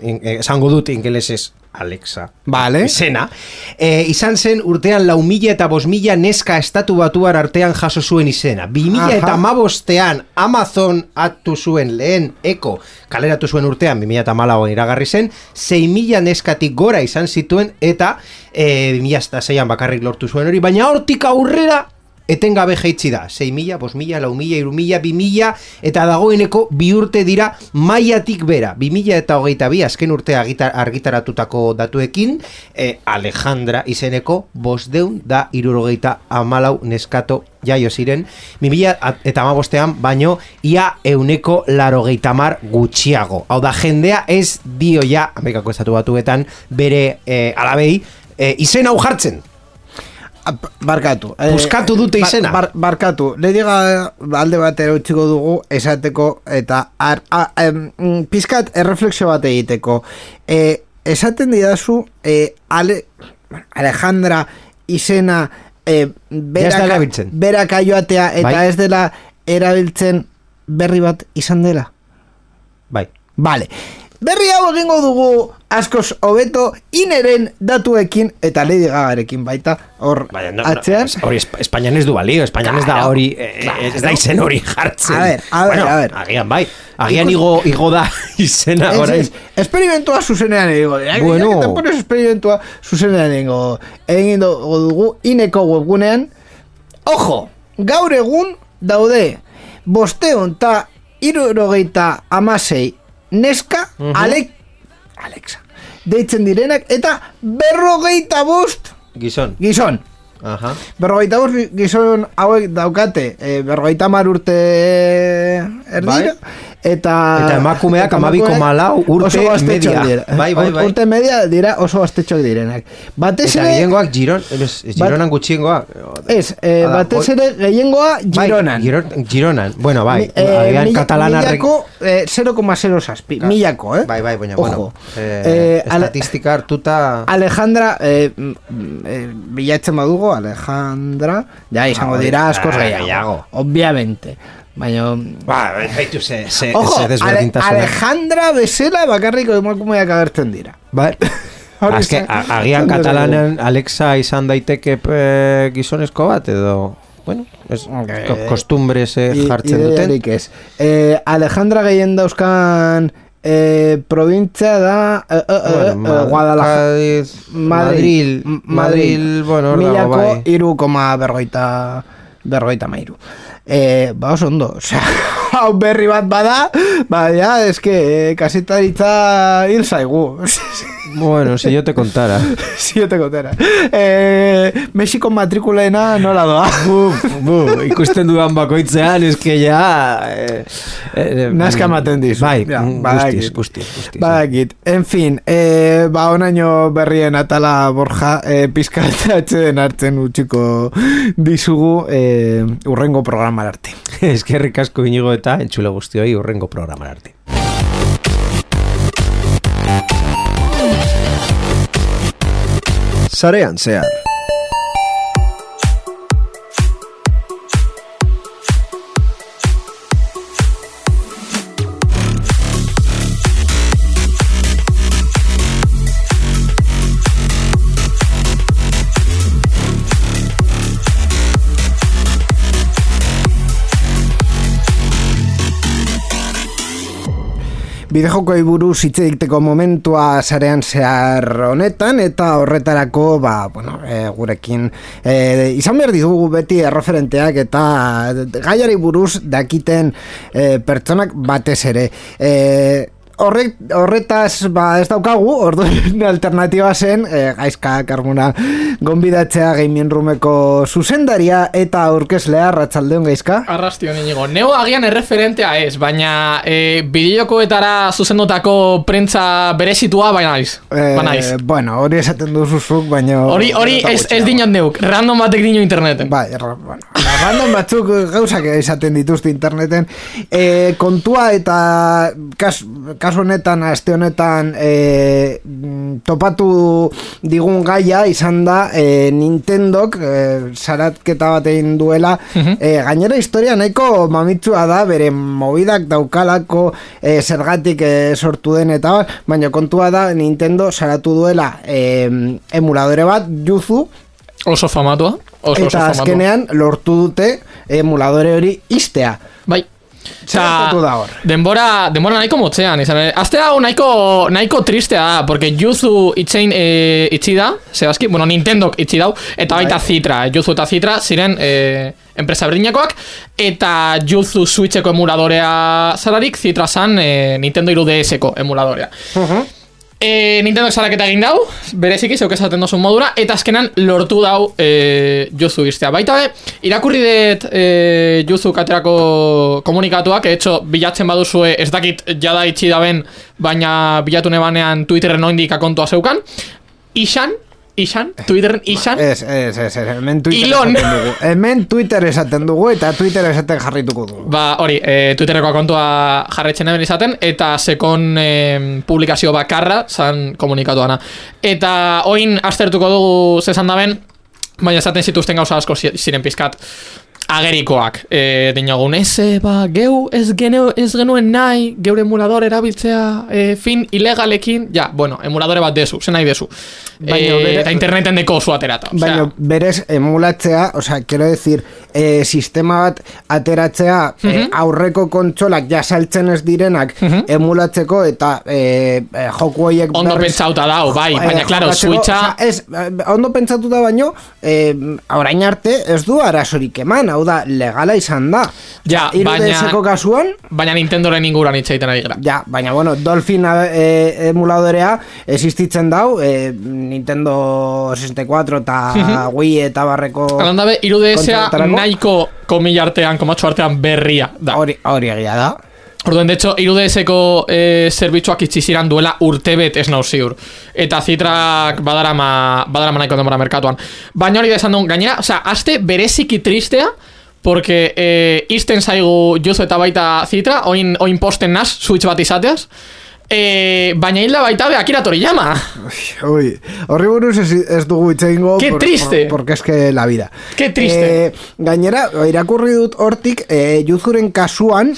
Speaker 3: in- eh, esango dut ingelesez Alexa,
Speaker 2: Vale.
Speaker 3: izena, eh, izan zen urtean lau mila eta bost mila neska estatu batuar artean jaso zuen izena. Bi mila eta
Speaker 2: Aha.
Speaker 3: amabostean Amazon atu zuen lehen eko kaleratu zuen urtean, bi mila eta malagoan iragarri zen, sei mila neskatik gora izan zituen, eta eh, bi mila eta seian bakarrik lortu zuen hori, baina hortik aurrera etengabe jaitsi da, sei mila, bost mila, lau mila, hiru mila, bi mila, eta dagoeneko bi urte dira mailatik bera, bi mila eta hogeita bi, azken urtea argita- argitaratutako datuekin, eh, Alejandra izeneko bosdeun da irurogeita amalau neskato jaio ziren, bi mila eta amabostean, baino ia euneko larogeita mar gutxiago. Hau da, jendea ez dio ja, Amerikako estatu batuetan, bere eh, alabei, eh, izen hau jartzen.
Speaker 2: Barkatu. Eh,
Speaker 3: Puskatu dute izena.
Speaker 2: Bar, bar, barkatu. Le diga alde batera utziko dugu esateko eta ar, a, em, mm, pizkat erreflexio bat egiteko. Eh, esaten didazu eh, Ale, Alejandra izena eh,
Speaker 3: Ez da erabiltzen.
Speaker 2: berak aioatea eta
Speaker 3: Bai.
Speaker 2: ez dela erabiltzen berri bat izan dela.
Speaker 3: Bai.
Speaker 2: Vale. Berri hau egingo dugu askoz hobeto ineren datuekin eta Lady Gagarekin baita hor
Speaker 3: Baina, no,
Speaker 2: atzean.
Speaker 3: no, hori Esp- Espainian ez du balio, Espainian ez da
Speaker 2: Claro,
Speaker 3: hori, eh,
Speaker 2: claro.
Speaker 3: ez da izen hori jartzen.
Speaker 2: A ver, a ver,
Speaker 3: bueno,
Speaker 2: a ver.
Speaker 3: agian bai, agian
Speaker 2: Ikus-
Speaker 3: igo, igo da izena
Speaker 2: Ez,
Speaker 3: orain.
Speaker 2: ez, esperimentua zuzenean egingo.
Speaker 3: Bueno.
Speaker 2: Eta pones esperimentua zuzenean egingo. Egin dugu ineko webgunean. Ojo, gaur egun daude bosteun eta hirurogeita hamasei neska,
Speaker 3: Mhm.
Speaker 2: Alek, Alexa, deitzen direnak, eta berrogeita bost
Speaker 3: Gizon.
Speaker 2: gizon.
Speaker 3: Aha.
Speaker 2: Berrogeita bost gizon hauek daukate, e, berrogeita hamar urte erdira, eta...
Speaker 3: Eta emakumeak
Speaker 2: eta
Speaker 3: amabi
Speaker 2: emakumeak
Speaker 3: koma lau urte
Speaker 2: oso gaztetxoak
Speaker 3: media.
Speaker 2: dira.
Speaker 3: Bai, bai, bai.
Speaker 2: Urte media dira oso gaztetxoak direnak. Batez
Speaker 3: Eta
Speaker 2: ere...
Speaker 3: gehiengoak Giron, ez, Gironan gutxiengoak.
Speaker 2: Ez, eh,
Speaker 3: Hala,
Speaker 2: batez
Speaker 3: hoi-
Speaker 2: ere gehiengoa Gironan.
Speaker 3: Bai, Giron, Gironan. Bueno, bai,
Speaker 2: Mi- eh,
Speaker 3: agian
Speaker 2: mila-
Speaker 3: katalanarrek...
Speaker 2: Milako eh, zero koma zero zazpi, milako, eh?
Speaker 3: Bai, bai, baina,
Speaker 2: Ojo.
Speaker 3: bueno. Eh,
Speaker 2: Eh, ale-
Speaker 3: estatistika hartuta...
Speaker 2: Alejandra, eh, mm, eh, bilatzen badugu, Alejandra, ja, izango
Speaker 3: Ah,
Speaker 2: dira askoz
Speaker 3: ah,
Speaker 2: gehiago,
Speaker 3: gehiago.
Speaker 2: obviamente. Baina...
Speaker 3: Ba, baitu ze, ze,
Speaker 2: Ojo,
Speaker 3: ze
Speaker 2: Ale,
Speaker 3: desberdintasuna.
Speaker 2: Alejandra bezala bakarriko emakumeak agertzen dira.
Speaker 3: Bai.
Speaker 2: Hori
Speaker 3: Azke,
Speaker 2: zen-
Speaker 3: a- agian
Speaker 2: zen
Speaker 3: katalanen Alexa izan daiteke eh, gizonezko bat, edo... Bueno, es,
Speaker 2: Eh,
Speaker 3: ko- kostumbres eh,
Speaker 2: I-
Speaker 3: jartzen duten.
Speaker 2: ideiarik ez. Eh, Alejandra gehien dauzkan eh, provintzia da eh, eh, eh,
Speaker 3: Bueno,
Speaker 2: eh, Guadalajara.
Speaker 3: Cádiz,
Speaker 2: Madrid,
Speaker 3: Madrid, Madrid, bueno, hor dago,
Speaker 2: milako
Speaker 3: bai.
Speaker 2: iru koma berrogeita berrogeita mairu. Eh, ba oso ondo, osea, hau berri bat bada, ba, ja, eske, eh, kasetaritza hil zaigu.
Speaker 3: Bueno, si yo te contara.
Speaker 2: Si yo te contara. Eh, Mexiko matrikulena nola doa?
Speaker 3: bu, bu, ikusten dudan bakoitzean, eske ja... Eh, eh,
Speaker 2: Nazka ematen dizu.
Speaker 3: Bai,
Speaker 2: Ja,
Speaker 3: mm,
Speaker 2: badakit.
Speaker 3: guztiz, guztiz, guztiz.
Speaker 2: Badakit. En fin, eh, ba, onaino berrien atala Borja, eh, pizkatatzen hartzen utxiko dizugu eh, urrengo programar arte.
Speaker 3: Eskerrik asko Inigo eta entzule guztioi urrengo programar arte. Sarean zehar.
Speaker 2: Bidejokoei buruz hitz egiteko momentua sarean zehar honetan, eta horretarako, ba, bueno, e, gurekin e, izan behar ditugu beti erreferenteak eta gaiari buruz dakiten e, pertsonak batez ere. E, Horrek, horretaz ba ez daukagu, orduan alternatiba zen e, Gaizka Karmona gonbidatzea Gaming Roomeko zuzendaria eta aurkezlea. Arratsaldeon, Gaizka.
Speaker 5: Arrastion inigo. Neo agian erreferentea ez, baina e, bideokoetara zuzendutako prentza berezitua baina naiz.
Speaker 2: Eh,
Speaker 5: Ba naiz.
Speaker 2: bueno, hori esaten duzuzuk, baina...
Speaker 5: Hori hori ez, ez dinot neuk, random batek dino interneten.
Speaker 2: Bai, erra, bueno, random batzuk gauzak esaten dituzte interneten. E, kontua eta kas, kasu honetan, aste honetan e, topatu digun gaia izan da e, Nintendok e, zaratketa bat egin duela. e, gainera historia nahiko mamitsua da, bere mobidak daukalako e, zergatik e, sortu den eta bat, baina kontua da Nintendo zaratu duela e, emuladore bat, Yuzu,
Speaker 5: Oso famatua. Oso, oso
Speaker 2: eta
Speaker 5: famatua.
Speaker 2: azkenean lortu dute emuladore hori iztea.
Speaker 5: Bai.
Speaker 2: Zer gertatu da hor?
Speaker 5: Denbora, denbora nahiko motzean izan. eh? Azte hau nahiko, nahiko tristea da, porque Yuzu itzein e, itzi da, zehazki, bueno, Nintendok itzi dau, eta baita Citra, Yuzu eta Citra ziren e, enpresa berdinakoak, eta Yuzu Switcheko emuladorea zararik, Citra zan e, Nintendo hiru D S-ko emuladorea. E, Nintendo salaketa egin dau, bereziki zeuk esaten dozun modura, eta azkenan lortu dau e, Yuzu iztea. Baita be, irakurri dut e, Yuzu katerako komunikatuak, etxo, bilatzen baduzue ez dakit jada itxi daben, baina bilatu nebanean Twitterren oindik akontua zeukan. Isan, Isan, Twitterren Isan,
Speaker 2: Ez, ez, ez, ez, hemen Twitter
Speaker 5: Ilon.
Speaker 2: esaten dugu. Hemen Twitter esaten dugu eta Twitter esaten jarrituko dugu.
Speaker 5: ba, hori, e, Twitterreko kontua jarretzen eben izaten, eta sekon e, publikazio bakarra zan komunikatuana. Eta oin aztertuko dugu zezan daben, baina esaten zituzten gauza asko zi- ziren pizkat agerikoak. E, dinogun, ez, e, ba, geu ez, geneu, ez genuen nahi, geure emulador erabiltzea e, fin ilegalekin, ja, bueno, emuladore bat dezu, zen nahi dezu.
Speaker 2: Baina
Speaker 5: eh,
Speaker 2: bere-
Speaker 5: eta interneten deko zu aterata.
Speaker 2: Baina
Speaker 5: Osea,
Speaker 2: berez emulatzea, o sea, quiero decir, eh, sistema bat ateratzea eh, aurreko kontsolak ja saltzen ez direnak emulatzeko eta eh, eh, joku horiek
Speaker 5: ondo
Speaker 2: berriz-
Speaker 5: pentsauta dau, bai,
Speaker 2: Eh,
Speaker 5: baina, claro,
Speaker 2: jokatzeko,
Speaker 5: Switcha...
Speaker 2: osea, ez, eh, ondo pentsatuta baino, eh, orain arte ez du arazorik eman, hau da, legala izan da.
Speaker 5: Ja,
Speaker 2: hiru
Speaker 5: baina-
Speaker 2: D S-ko kasuan,
Speaker 5: Baina Nintendoren inguruan hitz egiten ari gara.
Speaker 2: ja, baina bueno, Dolphin eh, emuladorea existitzen dau, eh, Nintendo sesenta y cuatro eta Wii eta barreko
Speaker 5: Alan dabe, hiru D S-a
Speaker 2: konsoletarako.
Speaker 5: nahiko komila artean, komatxo artean berria da.
Speaker 2: Hori, hori egia da.
Speaker 5: Orduan, de hecho, hiru D S-ko eh, zerbitzuak itxi ziran duela urtebet ez nau ziur. Eta Zitrak badarama, badarama nahiko denbora merkatuan. Baina hori da esan duen, gainera, osea, aste bereziki tristea, porque eh, izten zaigu Juzo eta baita Zitra, oin, oin posten naz, Switch bat izateaz, eh, baina hilda baita be Akira Toriyama.
Speaker 2: Ui, horri buruz ez, ez dugu hitz egingo.
Speaker 5: Qué triste.
Speaker 2: Por, porque es que la vida.
Speaker 5: Qué triste.
Speaker 2: Eh, gainera, irakurri dut hortik, eh, Yuzuren kasuan,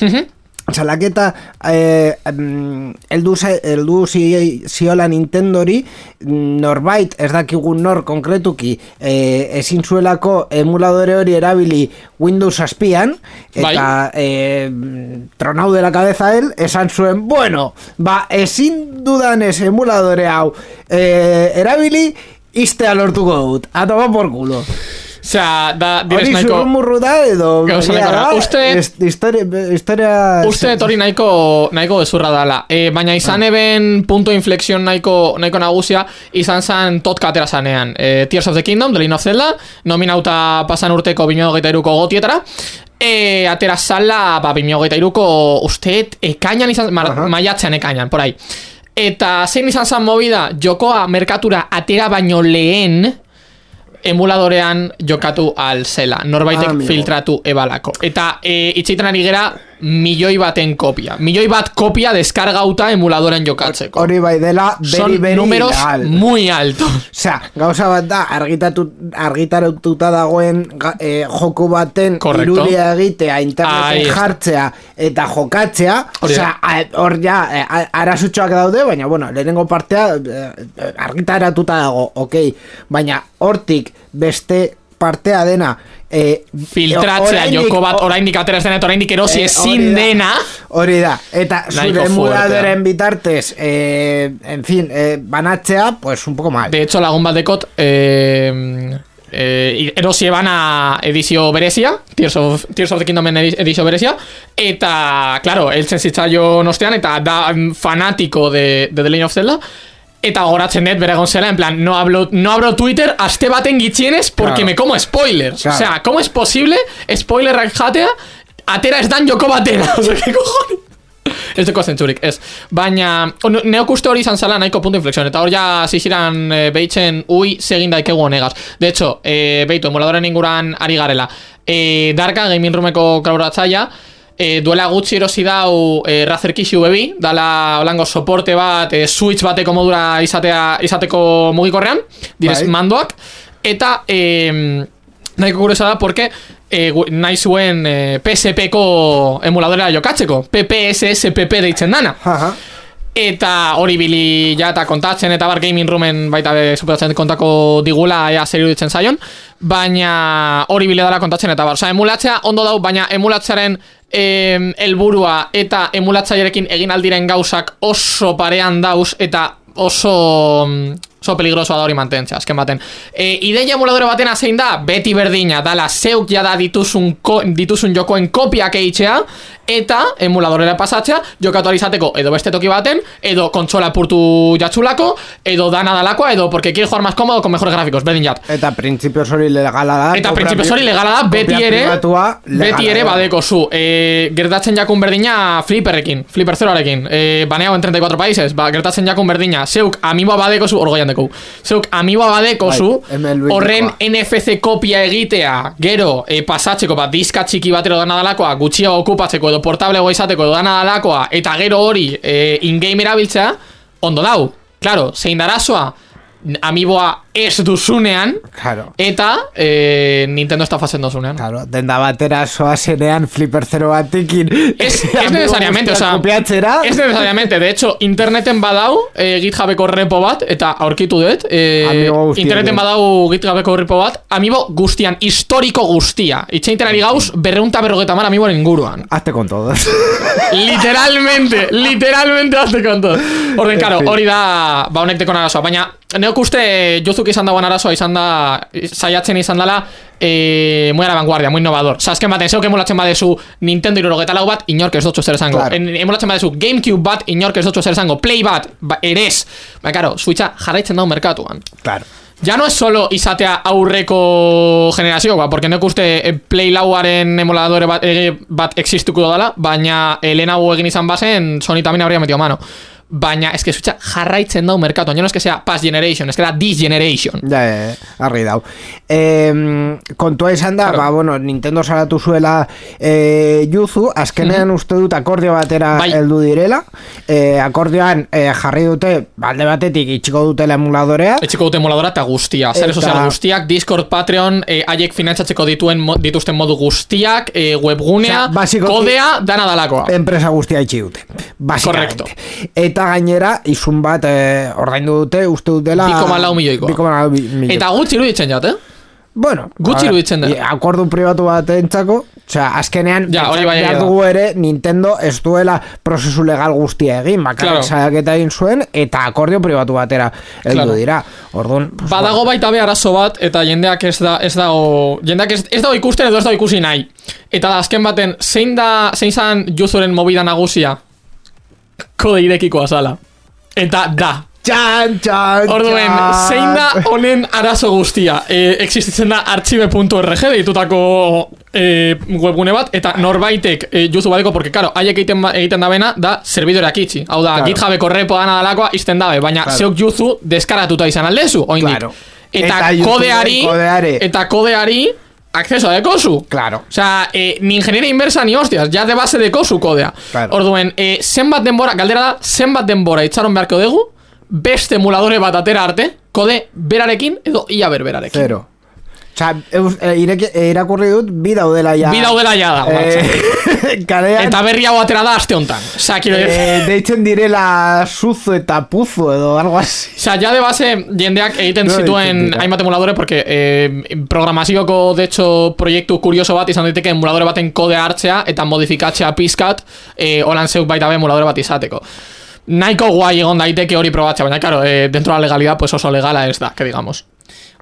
Speaker 2: salaketa eh, mm, eldu, za- eldu zi, ziola Nintendori norbait ez dakigun nor konkretuki eh, ezin zuelako emuladore hori erabili Windows zazpian eta eh, tronau de la cabeza él esan zuen, bueno, ba ezin dudanez emuladore hau eh, erabili iztea lortuko dut, a tomar por culo.
Speaker 5: Osea, da, direz
Speaker 2: Hori
Speaker 5: nahiko...
Speaker 2: zurrumurru da edo
Speaker 5: Gauza
Speaker 2: egia
Speaker 5: nahiko da.
Speaker 2: da,
Speaker 5: Uste-
Speaker 2: est- historia, historia
Speaker 5: Uste dut hori nahiko, nahiko gezurra dala. E, baina izan eben punto inflexion nahiko, nahiko nagusia izan zan totka atera zanean. E, Tears of the Kingdom, The Legend of Zelda, nominauta pasan urteko bi mila hogeita hiruko gotietara. E, atera zala, ba, bi mila hogeita hiruko usteet ekainan izan, mar, maiatzean ekainan, por ahí. Eta zein izan zan movida, jokoa merkatura atera baino lehen emuladorean jokatu al zela. Norbaitek
Speaker 2: Ah, amigo.
Speaker 5: filtratu ebalako. Eta e, itxeiten ari gera milioi baten kopia. Milioi bat kopia deskargauta emuladoren jokatzeko.
Speaker 2: hori bai dela
Speaker 5: Son
Speaker 2: beri beri
Speaker 5: números
Speaker 2: ilegal.
Speaker 5: muy altos.
Speaker 2: Osea, gauza bat da argitatu, argitaratuta dagoen ga- eh, joku baten
Speaker 5: Correcto.
Speaker 2: irudia egitea,
Speaker 5: Ahí
Speaker 2: interneten
Speaker 5: está.
Speaker 2: jartzea eta jokatzea,
Speaker 5: Hori da.
Speaker 2: osea, a- hor ja eh, a- arazutxoak daude, baina bueno, lehenengo partea eh, eh, argitaratuta dago, ok, baina hortik beste partea dena eh,
Speaker 5: Filtratzea
Speaker 2: oraindik-
Speaker 5: joko bat
Speaker 2: o-
Speaker 5: oraindik atera ez dena eta oraindik erosi
Speaker 2: Eh,
Speaker 5: ezin
Speaker 2: hori da.
Speaker 5: dena.
Speaker 2: Hori da, eta
Speaker 5: Nahiko
Speaker 2: zure emuladoren
Speaker 5: fuertea.
Speaker 2: bitartez eh, en fin, eh, banatzea pues un poco mal.
Speaker 5: De hecho, lagun bat dekot eh, eh, erosi ebana edizio berezia, Tears of, Tears of the Kingdomen edi- edizio berezia, eta, claro, eltzen zitzaion ostean, eta da mm, fanatiko de, de The Legend of Zelda, eta goratzen dut bere egon zela, en plan, no hablo, no abro Twitter aste baten gitxienez porque
Speaker 2: Claro.
Speaker 5: me como spoilers.
Speaker 2: Claro.
Speaker 5: O sea, ¿cómo es posible spoilerrak jatea atera ez dan joko batera? O sea, ¿qué cojones? Ez deko zentzurik, ez. Baina, on- neok uste hori izan zala nahiko punto inflexión. Eta hor ja ziziran e, behitzen ui segin daikegu honegaz. De hecho, e, behitu, emuladoren inguran ari garela. E, Darka, Gaming Roomeko kolaboratzaia, e, duela gutxi erosi dau e, Razer Kishu bebi, dala holango soporte bat, e, Switch bateko modura izatea, izateko mugikorrean, direz
Speaker 2: Bai.
Speaker 5: mandoak. Eta, e, nahiko kuriosa da, porque e, gu- nahi zuen e, P S P-ko emuladora jokatzeko. P P S S P P deitzen dana.
Speaker 2: Aha.
Speaker 5: Eta hori bili ja eta kontatzen eta bar Gaming Roomen baita be superatzen kontako digula ea zer iruditzen zaion, baina hori bile dala kontatzen eta bar. Osa, emulatzea ondo dau, baina emulatzearen em, helburua eta emulatzailerekin egin aldiren gauzak oso parean dauz eta oso oso peligrosoa da hori mantentzea, azken baten. E, ideia emuladore batena zein da, beti berdina, dala zeuk jada dituzun, ko, dituzun jokoen kopiak eitzea, eta emuladorera pasatzea, jokatu ahal izateko edo beste toki baten, edo kontsola purtu jatzulako, edo dana dalakoa, edo porque quiere jugar más cómodo con mejores gráficos, berdin jat.
Speaker 2: Eta printzipioz hori legala da.
Speaker 5: Eta
Speaker 2: kopia
Speaker 5: printzipioz hori
Speaker 2: pri-
Speaker 5: legala da, beti
Speaker 2: kopia
Speaker 5: ere,
Speaker 2: pribatua legala
Speaker 5: beti ere
Speaker 2: da.
Speaker 5: badeko zu. E, gertatzen jakun berdina Flipperrekin, Flipper zeroarekin, e, baneago en treinta y cuatro países, ba, gertatzen jakun berdina, zeuk amiiboa badeko zu, orgoian deko, zeuk amiiboa badeko
Speaker 2: Bai,
Speaker 5: zu,
Speaker 2: hemen luikoa.
Speaker 5: horren N F C kopia egitea, gero, e, pasatzeko, ba, diska txiki batero dana dalakoa, gutxiago okupatzeko, edo portablegoa izateko, edo dana dalakoa, eta gero hori, e, in-game erabiltzea, ondo dau. Claro, zein darazoa, amiiboa ez duzunean,
Speaker 2: Claro.
Speaker 5: eta e, Nintendo estafatzen duzunean.
Speaker 2: Claro, denda batera soazenean Flipper Zero batekin.
Speaker 5: Ez, ez necesariamente, o sea,
Speaker 2: Kopiatzera.
Speaker 5: ez necesariamente, de hecho, interneten badau eh, GitHubeko repo bat, eta aurkitu dut, eh,
Speaker 2: Amiibo guztien
Speaker 5: interneten
Speaker 2: dut.
Speaker 5: badau GitHubeko repo bat, amiibo guztian, historiko guztia. Itxeinten ari gauz, berreunta berrogeta mar amiiboren inguruan.
Speaker 2: Hazte con todos.
Speaker 5: Literalmente, literalmente hazte con todo. Orden, karo, hori da, ba honek dekon arazoa, baina neok uste Yuzuk izan dagoen arazoa izan da, saiatzen izan dela, eh, muy a la vanguardia, muy innovador. Osa, azken baten, zeuk emulatzen badezu Nintendo irurogeta lau bat, inork ez dutxo zer esango.
Speaker 2: Claro.
Speaker 5: En, emulatzen badezu GameCube bat, inork ez dutxo zer esango. Play bat, ba, erez. Ba, karo, Switcha jarraitzen dago merkatuan.
Speaker 2: Claro.
Speaker 5: Ya no es solo izatea aurreko generazioa, porque nek uste eh, Play lauaren emuladore bat, eh, bat existuko dala, baina eh, lehenago egin izan bazen, Sony también habría metido mano. Baina, es que Switcha jarraitzen dau merkatuan, no es que sea past generation, es que da this generation.
Speaker 2: Ja, ja, argi dau. Eh, kontua izan da,
Speaker 5: Claro.
Speaker 2: ba, bueno, Nintendo salatu zuela eh, Yuzu, azkenean uste dut akordio batera
Speaker 5: Bai.
Speaker 2: heldu direla. Eh, akordioan eh, jarri dute, alde batetik itxiko dutela emuladorea.
Speaker 5: Etxiko dute emuladora eta guztia, sare
Speaker 2: Eta-
Speaker 5: sozial guztiak, Discord, Patreon, eh, haiek finantzatzeko dituen mo, dituzten modu guztiak, eh, webgunea,
Speaker 2: Osea, basikoki-
Speaker 5: kodea, dana dalakoa.
Speaker 2: Enpresa guztia itxi dute,
Speaker 5: Correcto.
Speaker 2: basikamente. Eta gainera, izun bat eh, ordaindu dute, uste dutela...
Speaker 5: bi koma lau milioikoa.
Speaker 2: bi koma lau milioikoa.
Speaker 5: Eta gutxi iruditzen jat, eh?
Speaker 2: Bueno,
Speaker 5: Gutxi
Speaker 2: a ver,
Speaker 5: iruditzen da.
Speaker 2: i- akordu pribatu bat entzako, osea, azkenean
Speaker 5: Ja, hori
Speaker 2: pentsatu
Speaker 5: bai egia
Speaker 2: behar
Speaker 5: da.
Speaker 2: dugu ere Nintendo ez duela prozesu legal guztia egin, bakarrik
Speaker 5: Claro.
Speaker 2: salaketa egin zuen eta akordio pribatu batera heldu
Speaker 5: Claro.
Speaker 2: dira. Orduan, pues,
Speaker 5: Badago baita be arazo bat, eta jendeak ez da, ez dago, jendeak ez, ez dago ikusten edo ez dago ikusi nahi. Eta da, azken baten, zein da, zein zan Yuzuren movida nagusia? Kode irekikoa zala. Eta da.
Speaker 2: Txan, txan,
Speaker 5: Orduen,
Speaker 2: txan.
Speaker 5: zein da honen arazo guztia? E, existitzen da archive punto org deitutako e, webgune bat, eta norbaitek e, Yuzu badeko, porque, karo, haiek egiten, ba- egiten dabena, da serbidoreak itxi. Hau da,
Speaker 2: Claro.
Speaker 5: GitHubeko repo dana dalakoa izten dabe, baina
Speaker 2: Claro.
Speaker 5: zeok Yuzu deskaratuta izan aldezu, oindik.
Speaker 2: Claro.
Speaker 5: Eta,
Speaker 2: Eta Yuzuren
Speaker 5: kodeari,
Speaker 2: kodeare.
Speaker 5: eta kodeari, acceso dekozu.
Speaker 2: Claro.
Speaker 5: Osea, eh, ni ingenieria inversa ni hostias, ja de base dekozu kodea.
Speaker 2: Claro.
Speaker 5: Orduen, eh, zenbat denbora, galdera da, zenbat denbora itxaron beharko dugu, beste emuladore bat atera arte, kode berarekin edo ia berberarekin.
Speaker 2: Zero. Osea, eus, e, ireki, e, irakurri dut, bi daudela ja.
Speaker 5: Bi daudela ja da,
Speaker 2: Eh, kalean,
Speaker 5: eta berri hau atera da aste hontan. Osea, quiero decir,
Speaker 2: eh, deitzen direla Suzu eta Puzu edo algo así.
Speaker 5: Osea, ya de base jendeak egiten
Speaker 2: No,
Speaker 5: zituen
Speaker 2: ditzen dira.
Speaker 5: hainbat emuladore, porque eh, programazioko, de hecho, proiektu kurioso bat izan daiteke emuladore baten kodea hartzea eta modifikatzea pizkat, eh, holan zeuk baita be emuladore bat izateko. Nahiko guai egon daiteke hori probatzea, baina, claro, eh, dentro de la legalidad, pues oso legala ez da, que digamos.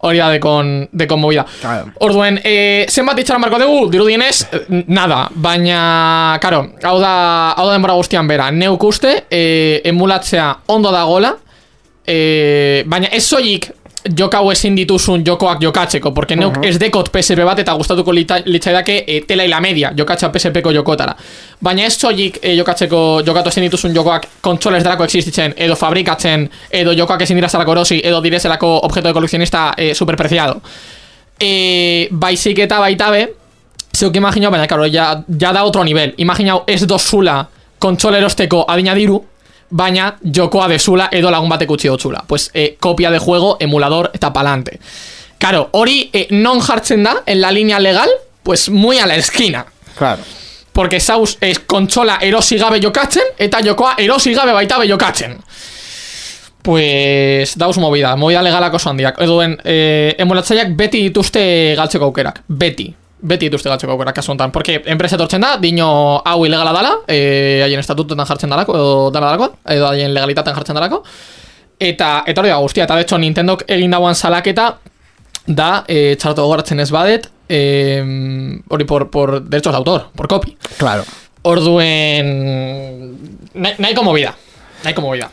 Speaker 5: Hori da dekon, dekon movida.
Speaker 2: Claro.
Speaker 5: Orduen, eh, zenbat itxaron marko dugu, dirudienez, eh, nada, baina, karo, hau da, hau da denbora guztian bera, neuk uste, eh, emulatzea ondo dagola, eh, baina ez soilik jokau ezin dituzun jokoak jokatzeko, porque neuk
Speaker 2: Mhm.
Speaker 5: ez dekot P S P bat eta gustatuko lita- litzaidake e, tela y la media jokatza P S P ko jokotara. Baina ez soilik e, jokatzeko jokatu ezin dituzun jokoak kontsoles delako existitzen, edo fabrikatzen, edo jokoak ezin dira zelako erosi, edo direzelako objeto de coleccionista e, superpreciado. E, baizik eta baita be, zeuk imaginau, baina claro, ya, ya da otro nivel. Imaginau ez dozula kontsola erosteko adina diru, baina jokoa dezula edo lagun batek utzi dotzula. Pues eh, copia de juego, emulador eta palante. Claro, hori eh, non jartzen da en la línea legal, pues muy a la esquina.
Speaker 2: Claro.
Speaker 5: Porque zauz es kontsola erosi gabe jokatzen eta jokoa erosi gabe baita be jokatzen. Pues dauz movida, movida legalak oso handiak. Eduen, eh, emulatzaileak beti dituzte galtzeko aukerak. Beti. Beti dituzte galtzeko aukerak kasu honetan. Porque enpresa etortzen da, dino hau ilegala dala, eh, haien estatutetan jartzen dalako, edo dala dalako, edo haien legalitaten jartzen dalako. Eta, eta hori da guztia, eta de hecho Nintendok egin dauan salaketa da, eh, txarto gogoratzen ez badet, eh, hori por, por derechos de autor, por copy.
Speaker 2: Claro.
Speaker 5: Orduen, nahi, nahiko movida, nahiko movida.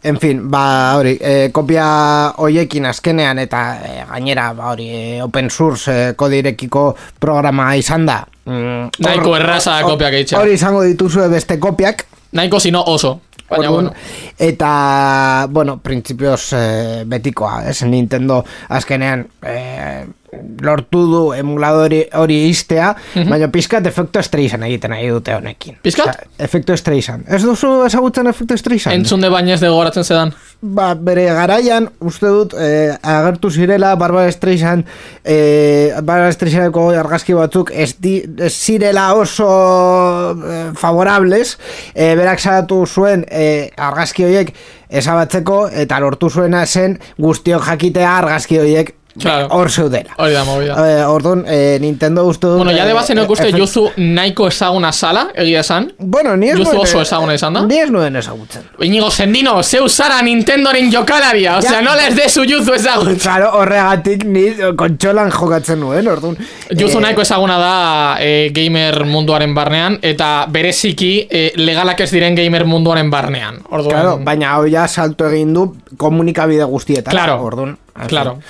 Speaker 2: En fin, ba, hori, e, kopia hoiekin azkenean eta e, gainera, ba, hori, e, open source e, kodirekiko programa izan da. Mm,
Speaker 5: Nahiko
Speaker 2: hor-
Speaker 5: erraza da
Speaker 2: hor-
Speaker 5: kopiak egitea.
Speaker 2: Hori izango dituzue beste kopiak.
Speaker 5: Nahiko sino oso. Baina,
Speaker 2: Orduan,
Speaker 5: bueno.
Speaker 2: Eta, bueno, printzipioz e, betikoa, ez? Nintendo azkenean e, lortu du emuladori hori iztea, baina pizkat efektu Streisand egiten nahi dute honekin.
Speaker 5: Pizkat?
Speaker 2: Osea, efektu Streisand. Ez duzu ezagutzen efektu Streisand?
Speaker 5: Entzun de bainez de gogoratzen zedan.
Speaker 2: ba, bere garaian, uste dut, eh, agertu zirela Barbara Streisand, eh, Barbara Streisandeko argazki batzuk ez, di, ez zirela oso eh, favorables, eh, berak salatu zuen eh, argazki horiek ezabatzeko, eta lortu zuena zen guztiok jakitea argazki horiek
Speaker 5: Claro.
Speaker 2: hor zeudela.
Speaker 5: Hori da, movida.
Speaker 2: Eh, Orduan, eh, Nintendo uste dut...
Speaker 5: Bueno, ya de base no
Speaker 2: eh,
Speaker 5: uste
Speaker 2: efe-
Speaker 5: Yuzu nahiko ezaguna sala, egia esan.
Speaker 2: Bueno, ni ez
Speaker 5: Yuzu
Speaker 2: nuen-
Speaker 5: oso ezaguna izan da.
Speaker 2: Ni ez nuen ezagutzen.
Speaker 5: Inigo Sendino, zeu zara Nintendoren jokalaria, osea,
Speaker 2: Ja.
Speaker 5: no les dezu Yuzu ezagutzen.
Speaker 2: Claro, horregatik ni kontsolan jokatzen nuen, orduan.
Speaker 5: Yuzu
Speaker 2: eh,
Speaker 5: nahiko ezaguna da eh, gamer munduaren barnean, eta bereziki eh, legalak ez diren gamer munduaren barnean. Orduan,
Speaker 2: Claro, baina hau ja salto egin du komunikabide guztietan.
Speaker 5: Claro,
Speaker 2: orduan.
Speaker 5: claro.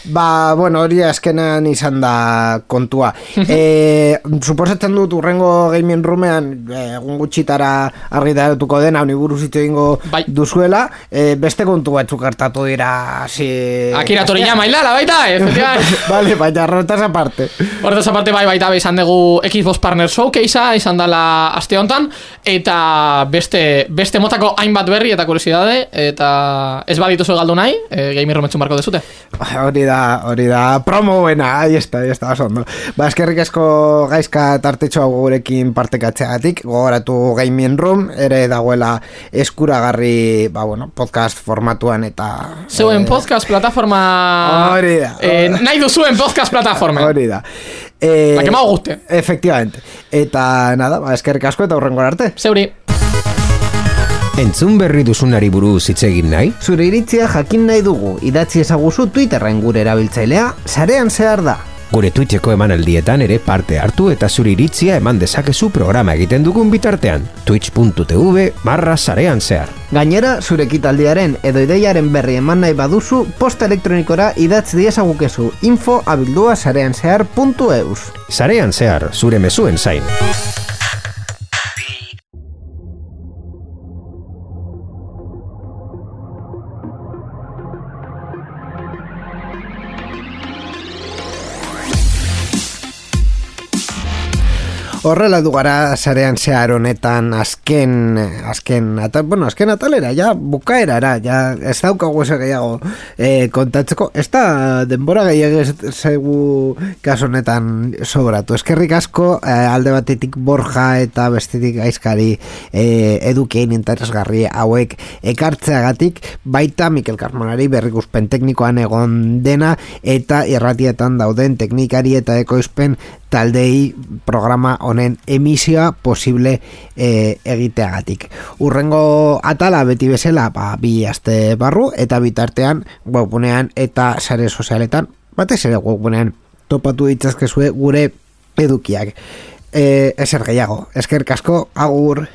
Speaker 2: Ba, bueno, hori azkenean izan da kontua. e, suposatzen dut urrengo gaming roomean eh, egun gutxitara argitaratuko dena honi buruz hitz egingo
Speaker 5: Bai.
Speaker 2: duzuela, eh, beste kontu batzuk hartatu dira si...
Speaker 5: Akira Toriyama hilala baita, efectivamente.
Speaker 2: Vale, baina horretaz aparte.
Speaker 5: Horretaz aparte bai baita izan dugu Xbox Partner Showcasea, izan dela aste hontan, eta beste, beste motako hainbat berri eta kuriosidade, eta ez badituzu galdu nahi, e, gamer rometxun barko dezute.
Speaker 2: Hori da, hori da, promo buena, ahí está, ahí está, oso ondo. Ba, eskerrik asko gaizka tartetxo hau gurekin partekatzeagatik, gogoratu Gaming Room, ere dagoela eskuragarri, ba, bueno, podcast formatuan eta...
Speaker 5: Zeuen
Speaker 2: eh,
Speaker 5: podcast plataforma...
Speaker 2: Hori da.
Speaker 5: Eh, nahi duzuen podcast plataforma.
Speaker 2: Hori da. Eh,
Speaker 5: La que más guste.
Speaker 2: Efectivamente. Eta, nada, ba, eskerrik asko eta hurrengo arte.
Speaker 5: Zeuri.
Speaker 3: Entzun berri duzunari buruz hitz egin nahi?
Speaker 2: Zure iritzia jakin nahi dugu, idatzi ezaguzu Twitterren gure erabiltzailea, sarean zehar da.
Speaker 3: Gure Twitcheko emanaldietan ere parte hartu eta zure iritzia eman dezakezu programa egiten dugun bitartean. twitch.tv barra sarean zehar.
Speaker 2: Gainera, zure ekitaldiaren edo ideiaren berri eman nahi baduzu, posta elektronikora idatz diezagukezu info abildua sarean zehar puntu eus.
Speaker 3: Sarean zehar, zure mezuen zain.
Speaker 2: Horrela du gara sarean zehar honetan azken, azken, atal, bueno, azken atalera, ja, bukaerara, ja, ez daukagu ese gehiago eh, kontatzeko, ez da denbora gehiago zaigu kaso honetan sobratu. Eskerrik asko, eh, alde batetik Borja eta bestetik Gaizkari eh, edukien interesgarri hauek ekartzeagatik, baita Mikel Carmonari berrikuspen teknikoan egon dena, eta irratietan dauden teknikari eta ekoizpen taldei programa honen emisioa posible e, egiteagatik. Urrengo atala beti bezala, ba, bi aste barru, eta bitartean webgunean eta sare sozialetan, batez ere webgunean topatu ditzazkezue gure edukiak. E, ezer gehiago, eskerrik asko, agur.